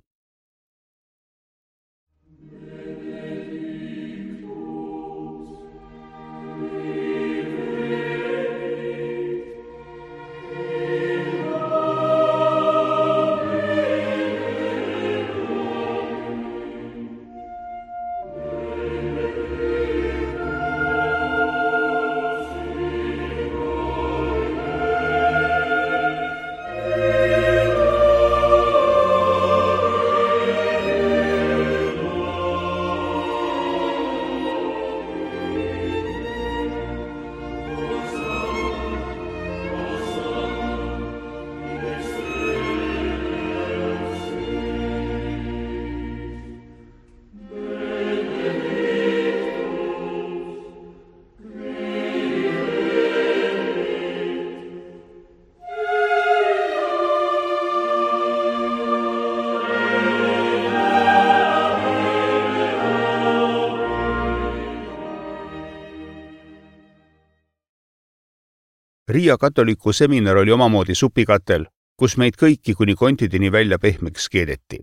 Riia katoliku seminar oli omamoodi supikatel, kus meid kõiki kuni kontideni välja pehmeks keedeti.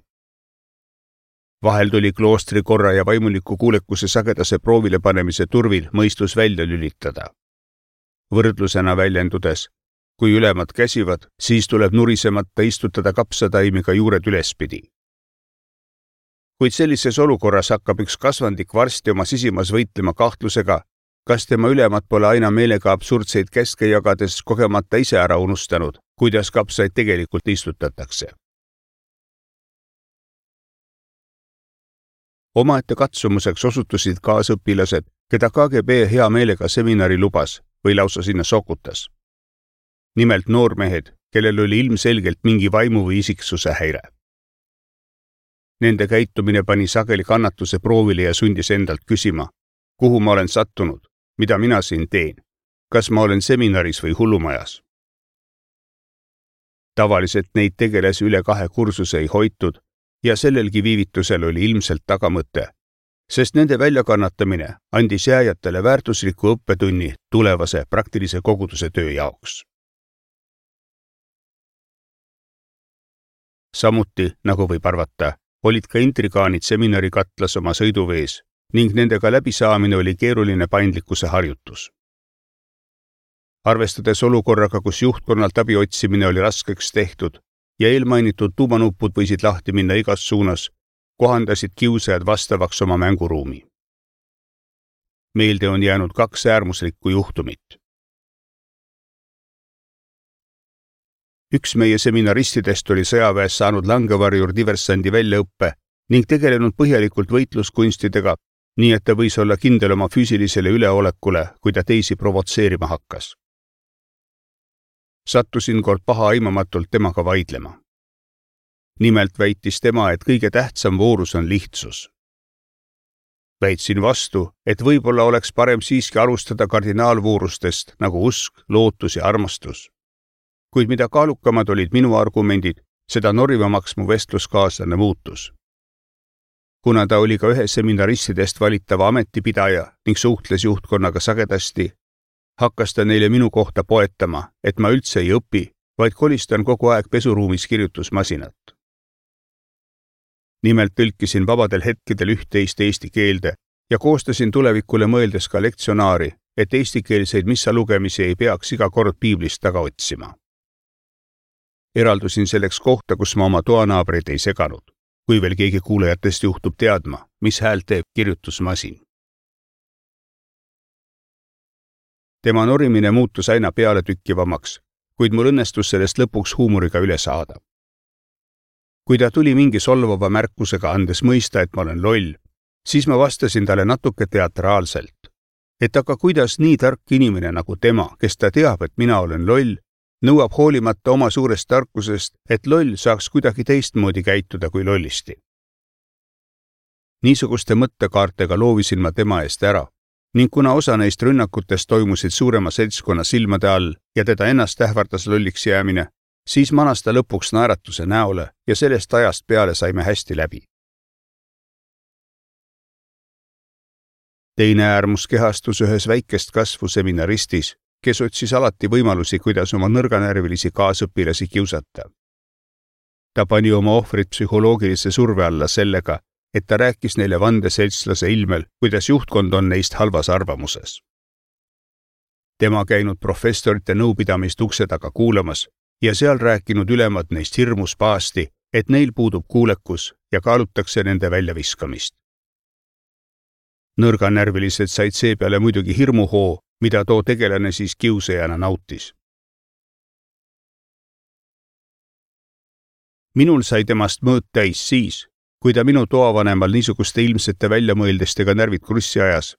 Vahel tuli kloostri korra ja vaimuliku kuulekuse sagedase proovile panemise turvil mõistus välja lülitada. Võrdlusena väljendudes, kui ülemad käsivad, siis tuleb nurisemata istutada kapsataimiga juured ülespidi. Kuid sellises olukorras hakkab üks kasvandik varsti oma sisimas võitlema kahtlusega, kas tema ülemad pole aina meelega absurdseid käske jagades kogemata ise ära unustanud, kuidas kapsaid tegelikult istutatakse. Omaette katsumuseks osutusid kaasõpilased, keda K G B hea meelega seminari lubas või lausa sinna sokutas. Nimelt noormehed, kellel oli ilmselgelt mingi vaimu või isiksuse häire. Nende käitumine pani sageli kannatuse proovile ja sundis endalt küsima, kuhu ma olen sattunud, mida mina siin teen, kas ma olen seminaris või hullumajas. Tavaliselt neid tegelasi üle kahe kursuse ei hoitud ja sellelgi viivitusel oli ilmselt tagamõte, sest nende väljakannatamine andis jääjatele väärtusliku õppetunni tulevase praktilise koguduse töö jaoks. Samuti, nagu võib arvata, olid ka intrigaanid seminari katlas oma sõiduvees ning nendega läbisaamine oli keeruline paindlikkuse harjutus. Arvestades olukorraga, kus juhtkonnalt abi otsimine oli raskeks tehtud ja eelmainitud tuumanupud võisid lahti minna igas suunas, kohandasid kiusajad vastavaks oma mänguruumi. Meelde on jäänud kaks äärmuslikku juhtumit. Üks meie seminaristidest oli sõjaväes saanud langevarjur diversandi väljaõppe ning tegelenud põhjalikult võitluskunstidega, nii et ta võis olla kindel oma füüsilisele üleolekule, kui ta teisi provotseerima hakkas. Sattusin kord paha aimamatult temaga vaidlema. Nimelt väitis tema, et kõige tähtsam voorus on lihtsus. Väitsin vastu, et võib-olla oleks parem siiski alustada kardinaalvoorustest nagu usk, lootus ja armastus. Kuid mida kaalukamad olid minu argumendid, seda norivamaks mu vestluskaaslane muutus. Kuna ta oli ka ühe seminaristidest valitava ametipidaja ning suhtles juhtkonnaga sagedasti, hakkas ta neile minu kohta poetama, et ma üldse ei õpi, vaid kolistan kogu aeg pesuruumis kirjutusmasinat. Nimelt tõlkisin vabadel hetkedel üht-teist eesti keelde ja koostasin tulevikule mõeldes ka lektsionaari, et eestikeelseid missa lugemisi ei peaks iga kord piiblist taga otsima. Eraldusin selleks kohta, kus ma oma toanaabreid ei seganud, kui veel keegi kuulajatest juhtub teadma, mis häält teeb kirjutusmasin. Tema norimine muutus aina pealetükkivamaks, kuid mul õnnestus sellest lõpuks huumoriga üle saada. Kui ta tuli mingi solvava märkusega andes mõista, et ma olen loll, siis ma vastasin talle natuke teatraalselt, et aga kuidas nii tark inimene nagu tema, kes ta teab, et mina olen loll, nõuab hoolimata oma suurest tarkusest, et loll saaks kuidagi teistmoodi käituda kui lollisti. Niisuguste mõttekaartega loovisin ma tema eest ära ning kuna osa neist rünnakutest toimusid suurema seltskonna silmade all ja teda ennast ähvardas lolliks jäämine, siis manas ta lõpuks naeratuse näole ja sellest ajast peale saime hästi läbi. Teine äärmus kehastus ühes väikest kasvu seminaristis, kes otsis alati võimalusi, kuidas oma nõrganärvilisi kaasõpilasi kiusata. Ta pani oma ohvrid psühholoogilise surve alla sellega, et ta rääkis neile vandeseltslase ilmel, kuidas juhtkond on neist halvas arvamuses. Tema käinud professorite nõupidamist ukse taga kuulamas ja seal rääkinud ülemad neist hirmus paasti, et neil puudub kuulekus ja kaalutakse nende väljaviskamist. Nõrganärvilised said seepeale muidugi hirmuhoo, mida too tegelane siis kiusajana nautis. Minul sai temast mõõt täis siis, kui ta minu toavanemal niisuguste ilmsete väljamõeldestega närvid krussi ajas,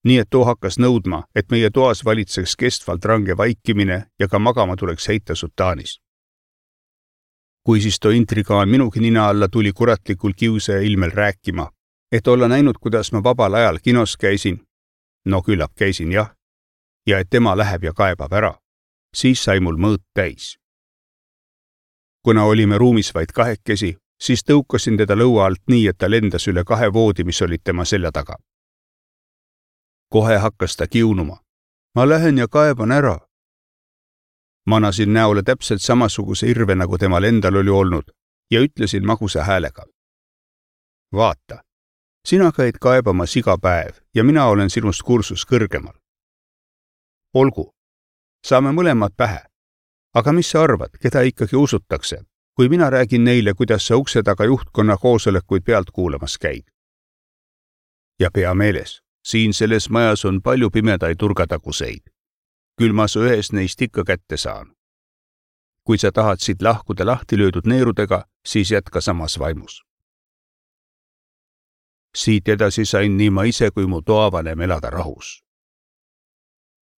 nii et too hakkas nõudma, et meie toas valitseks kestvalt range vaikimine ja ka magama tuleks heita sutaanis. Kui siis too intrigaan minugi nina alla tuli kuratlikul kiusaja ilmel rääkima, et olla näinud, kuidas ma vabal ajal kinos käisin, no küllap käisin jah, ja et tema läheb ja kaebab ära, siis sai mul mõõt täis. Kuna olime ruumis vaid kahekesi, siis tõukasin teda lõua alt nii, et ta lendas üle kahe voodi, mis olid tema selja taga. Kohe hakkas ta kiunuma. Ma lähen ja kaeban ära. Manasin näole täpselt samasuguse irve, nagu temal endal oli olnud, ja ütlesin magusa häälega. Vaata, sina käid kaebamas iga päev ja mina olen sinust kursus kõrgemal. Olgu, saame mõlemad pähe. Aga mis sa arvad, keda ikkagi usutakse, kui mina räägin neile, kuidas sa ukse taga juhtkonna koosolekuid pealt kuulamas käid? Ja pea meeles, siin selles majas on palju pimedaid turgataguseid. Küll ma su ühes neist ikka kätte saan. Kui sa tahad siit lahkuda lahti löödud neerudega, siis jätka samas vaimus. Siit edasi sain nii ma ise kui mu toavanem elada rahus.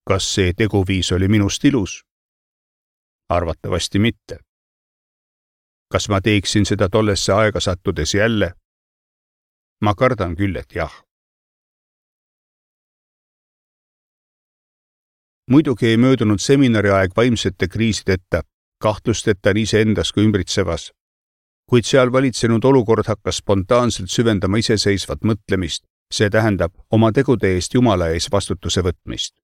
Kas see teguviis oli minust ilus? Arvatavasti mitte. Kas ma teeksin seda tollesse aega sattudes jälle? Ma kardan küll, et jah. Muidugi ei möödunud seminari aeg vaimsete kriisideta, kahtlusteta nii iseendas kui ümbritsevas, kuid seal valitsenud olukord hakkas spontaanselt süvendama iseseisvat mõtlemist, see tähendab oma tegude eest Jumala ees vastutuse võtmist.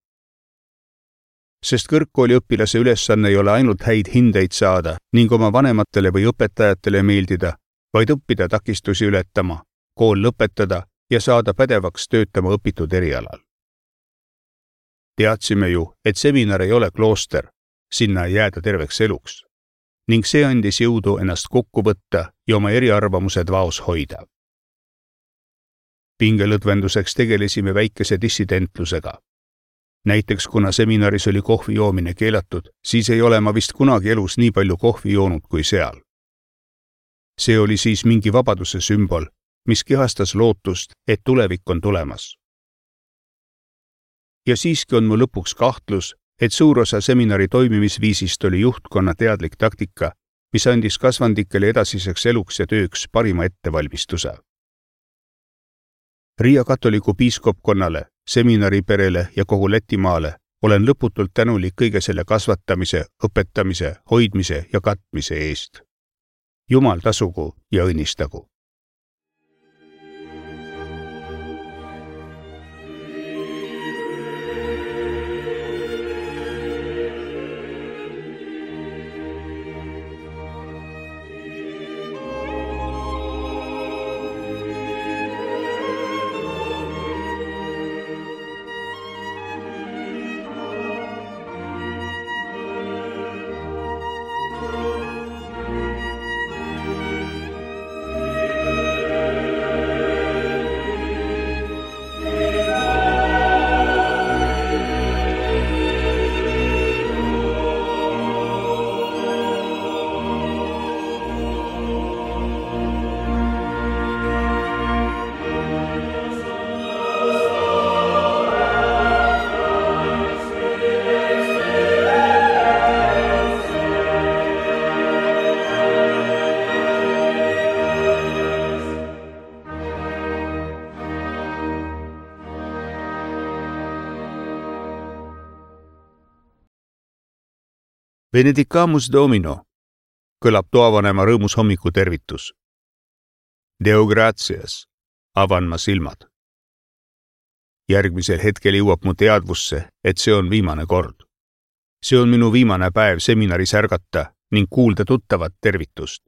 sest kõrgkooli õpilase ülesanne ei ole ainult häid hindeid saada ning oma vanematele või õpetajatele meeldida, vaid õppida takistusi ületama, kool lõpetada ja saada pädevaks töötama õpitud erialal. Teadsime ju, et seminar ei ole klooster, sinna ei jääda terveks eluks, ning see andis jõudu ennast kokku võtta ja oma eriarvamused vaos hoida. Pingelõdvenduseks tegelesime väikese dissidentlusega. Näiteks kuna seminaris oli kohvi joomine keelatud, siis ei ole ma vist kunagi elus nii palju kohvi joonud kui seal. See oli siis mingi vabaduse sümbol, mis kehastas lootust, et tulevik on tulemas. Ja siiski on mu lõpuks kahtlus, et suur osa seminari toimimisviisist oli juhtkonna teadlik taktika, mis andis kasvandikele edasiseks eluks ja tööks parima ettevalmistuse. Riia katoliku piiskopkonnale, seminariperele ja kogu Lätimaale olen lõputult tänulik kõige selle kasvatamise, õpetamise, hoidmise ja katmise eest. Jumal tasugu ja õnnistagu. Benedicamus Domino kõlab toavanema rõõmus hommiku tervitus. Deo gratias, avan ma silmad. Järgmisel hetkel jõuab mu teadvusse, et see on viimane kord. See on minu viimane päev seminaris ärgata ning kuulda tuttavat tervitust.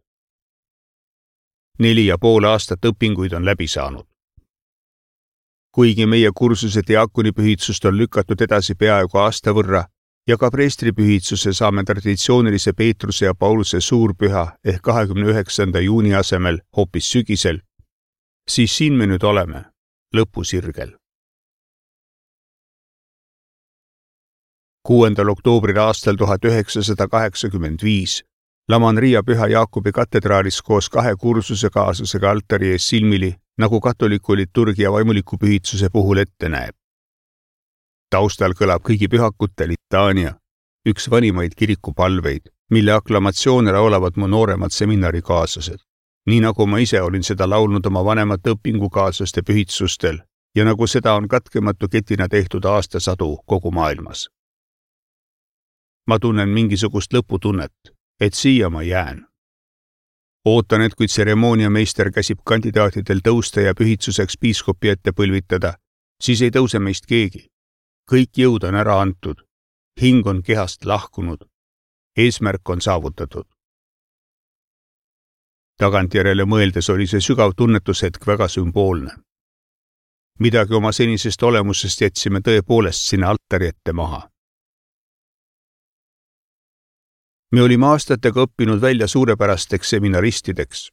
Neli ja pool aastat õpinguid on läbi saanud. Kuigi meie kursuse diaakonipühitsust on lükatud edasi peaaegu aasta võrra, ja ka preestripühitsuse saame traditsioonilise Peetruse ja Pauluse suurpüha ehk kahekümne üheksanda juuni asemel hoopis sügisel, siis siin me nüüd oleme, lõpusirgel. kuuendal oktoobril aastal tuhat üheksasada kaheksakümmend viis laman Riia Püha Jaakobi katedraalis koos kahe kursusekaaslasega altari ees silmili, nagu katoliku liturgia vaimuliku pühitsuse puhul ette näeb. Taustal kõlab kõigi pühakute litaania, üks vanimaid kirikupalveid, mille aklamatsioone laulavad mu nooremad seminarikaaslased, nii nagu ma ise olin seda laulnud oma vanemate õpingukaaslaste pühitsustel ja nagu seda on katkematu ketina tehtud aastasadu kogu maailmas. Ma tunnen mingisugust lõputunnet, et siia ma jään. Ootan, et kui tseremooniameister käsib kandidaatidel tõusta ja pühitsuseks piiskopi ette põlvitada, siis ei tõuse meist keegi. Kõik jõud on ära antud, hing on kehast lahkunud, eesmärk on saavutatud. Tagantjärele mõeldes oli see sügav tunnetushetk väga sümboolne. Midagi oma senisest olemusest jätsime tõepoolest sinna altari ette maha. Me olime aastatega õppinud välja suurepärasteks seminaristideks.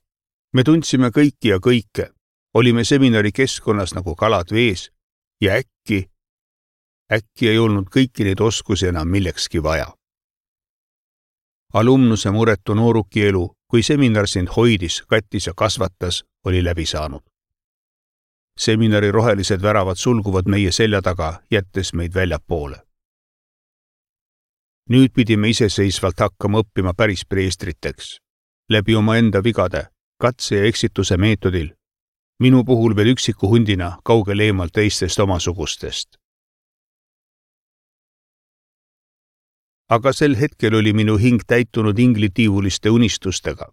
Me tundsime kõiki ja kõike, olime seminari keskkonnas nagu kalad vees ja äkki Äkki ei olnud kõiki neid oskusi enam millekski vaja. Alumnuse muretu nooruki elu, kui seminar sind hoidis, kattis ja kasvatas, oli läbi saanud. Seminari rohelised väravad sulguvad meie selja taga, jättes meid väljapoole. Nüüd pidime iseseisvalt hakkama õppima päris preestriteks, läbi oma enda vigade, katse ja eksituse meetodil, minu puhul veel üksiku hundina kaugel eemalt teistest omasugustest. Aga sel hetkel oli minu hing täitunud inglitiivuliste unistustega.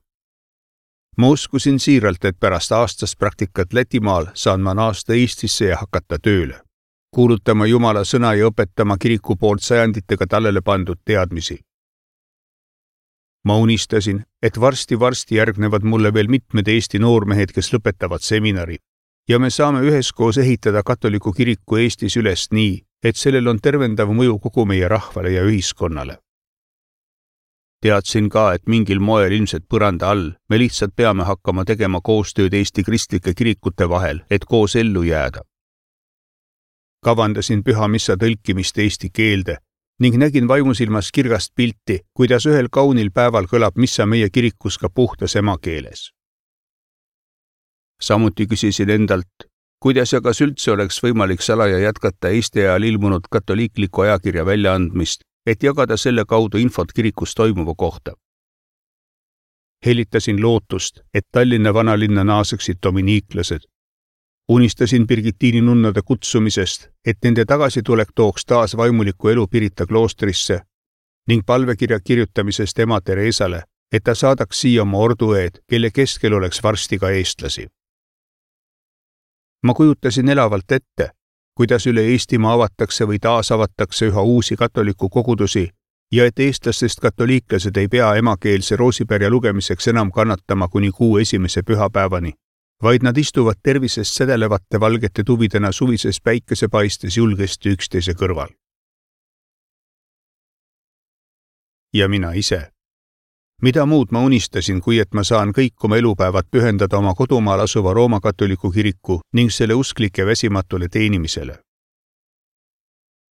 Ma uskusin siiralt, et pärast aastast praktikat Lätimaal saan ma naasta Eestisse ja hakata tööle. kuulutama Jumala sõna ja õpetama kiriku poolt sajanditega tallele pandud teadmisi. Ma unistasin, et varsti-varsti järgnevad mulle veel mitmed Eesti noormehed, kes lõpetavad seminari ja me saame üheskoos ehitada katoliku kiriku Eestis üles nii, et sellel on tervendav mõju kogu meie rahvale ja ühiskonnale. Teadsin ka, et mingil moel ilmselt põranda all me lihtsalt peame hakkama tegema koostööd Eesti kristlike kirikute vahel, et koos ellu jääda. Kavandasin püha missa tõlkimist eesti keelde ning nägin vaimusilmas kirgast pilti, kuidas ühel kaunil päeval kõlab missa meie kirikus ka puhtas emakeeles. Samuti küsisin endalt, kuidas ja kas üldse oleks võimalik salaja jätkata Eesti ajal ilmunud katoliikliku ajakirja väljaandmist, et jagada selle kaudu infot kirikus toimuva kohta. Helitasin lootust, et Tallinna vanalinna naaseksid dominiiklased. Unistasin Birgitiini nunnade kutsumisest, et nende tagasitulek tooks taas vaimuliku elu Pirita kloostrisse ning palvekirja kirjutamisest ema Teresale, et ta saadaks siia oma ordueed, kelle keskel oleks varsti ka eestlasi. Ma kujutasin elavalt ette, kuidas üle Eestimaa avatakse või taas avatakse üha uusi katoliku kogudusi ja et eestlastest katoliiklased ei pea emakeelse roosipärja lugemiseks enam kannatama kuni kuu esimese pühapäevani, vaid nad istuvad tervisest sädelevate valgete tuvidena suvises päikesepaistes julgesti üksteise kõrval. Ja mina ise. Mida muud ma unistasin, kui et ma saan kõik oma elupäevad pühendada oma kodumaal asuva Rooma katoliku kiriku ning selle usklike väsimatule teenimisele.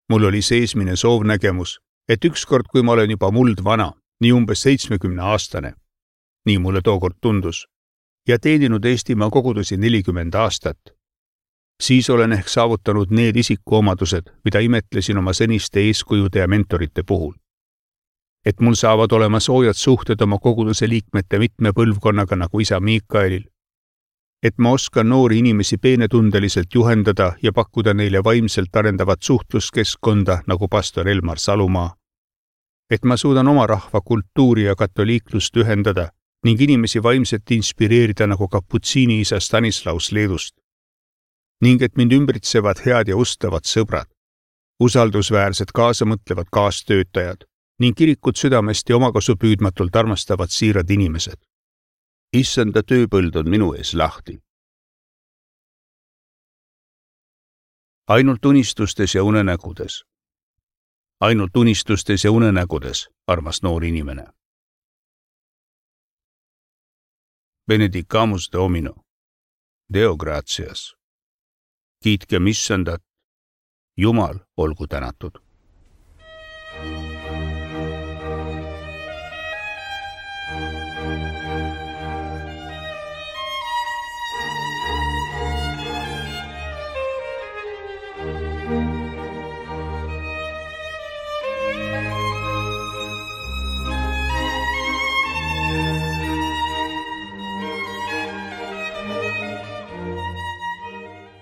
Mul oli seesmine soovnägemus, et ükskord, kui ma olen juba muld vana, nii umbes seitsmekümne aastane, nii mulle tookord tundus, ja teeninud Eestimaa kogudusi nelikümmend aastat, siis olen ehk saavutanud need isikuomadused, mida imetlesin oma seniste eeskujude ja mentorite puhul. Et mul saavad olema soojad suhted oma koguduse liikmete mitme põlvkonnaga nagu isa Miikaelil, et ma oskan noori inimesi peenetundeliselt juhendada ja pakkuda neile vaimselt arendavat suhtluskeskkonda nagu pastor Elmar Salumaa, et ma suudan oma rahva kultuuri ja katoliiklust ühendada ning inimesi vaimselt inspireerida nagu kaputsiini isa Stanislaus Leedust, ning et mind ümbritsevad head ja ustavad sõbrad, usaldusväärsed kaasamõtlevad kaastöötajad ning kirikut südamest ja omakasu püüdmatult armastavad siirad inimesed. Issanda tööpõld on minu ees lahti. Ainult unistustes ja unenägudes. Ainult unistustes ja unenägudes, armas noor inimene. Benedicamus Domino. Deo gratias. Kiitkem Issandat. Jumal olgu tänatud.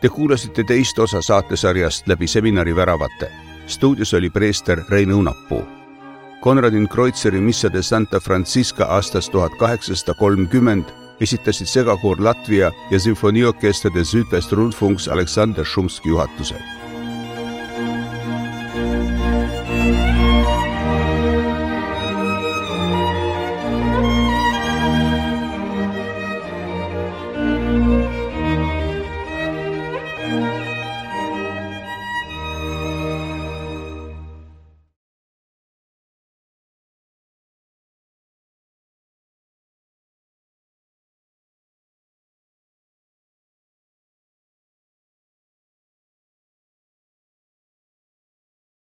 Te kuulasite teist osa saatesarjast läbi seminari väravate. Stuudios oli preester Rein Õunapuu. Konradin Kreutzeri Missa de Santa Francisca aastast tuhat kaheksasada kolmkümmend esitasid segakoor Latvia ja sümfoniorkester de Südwest Rundfunks Aleksander Šumski juhatusel.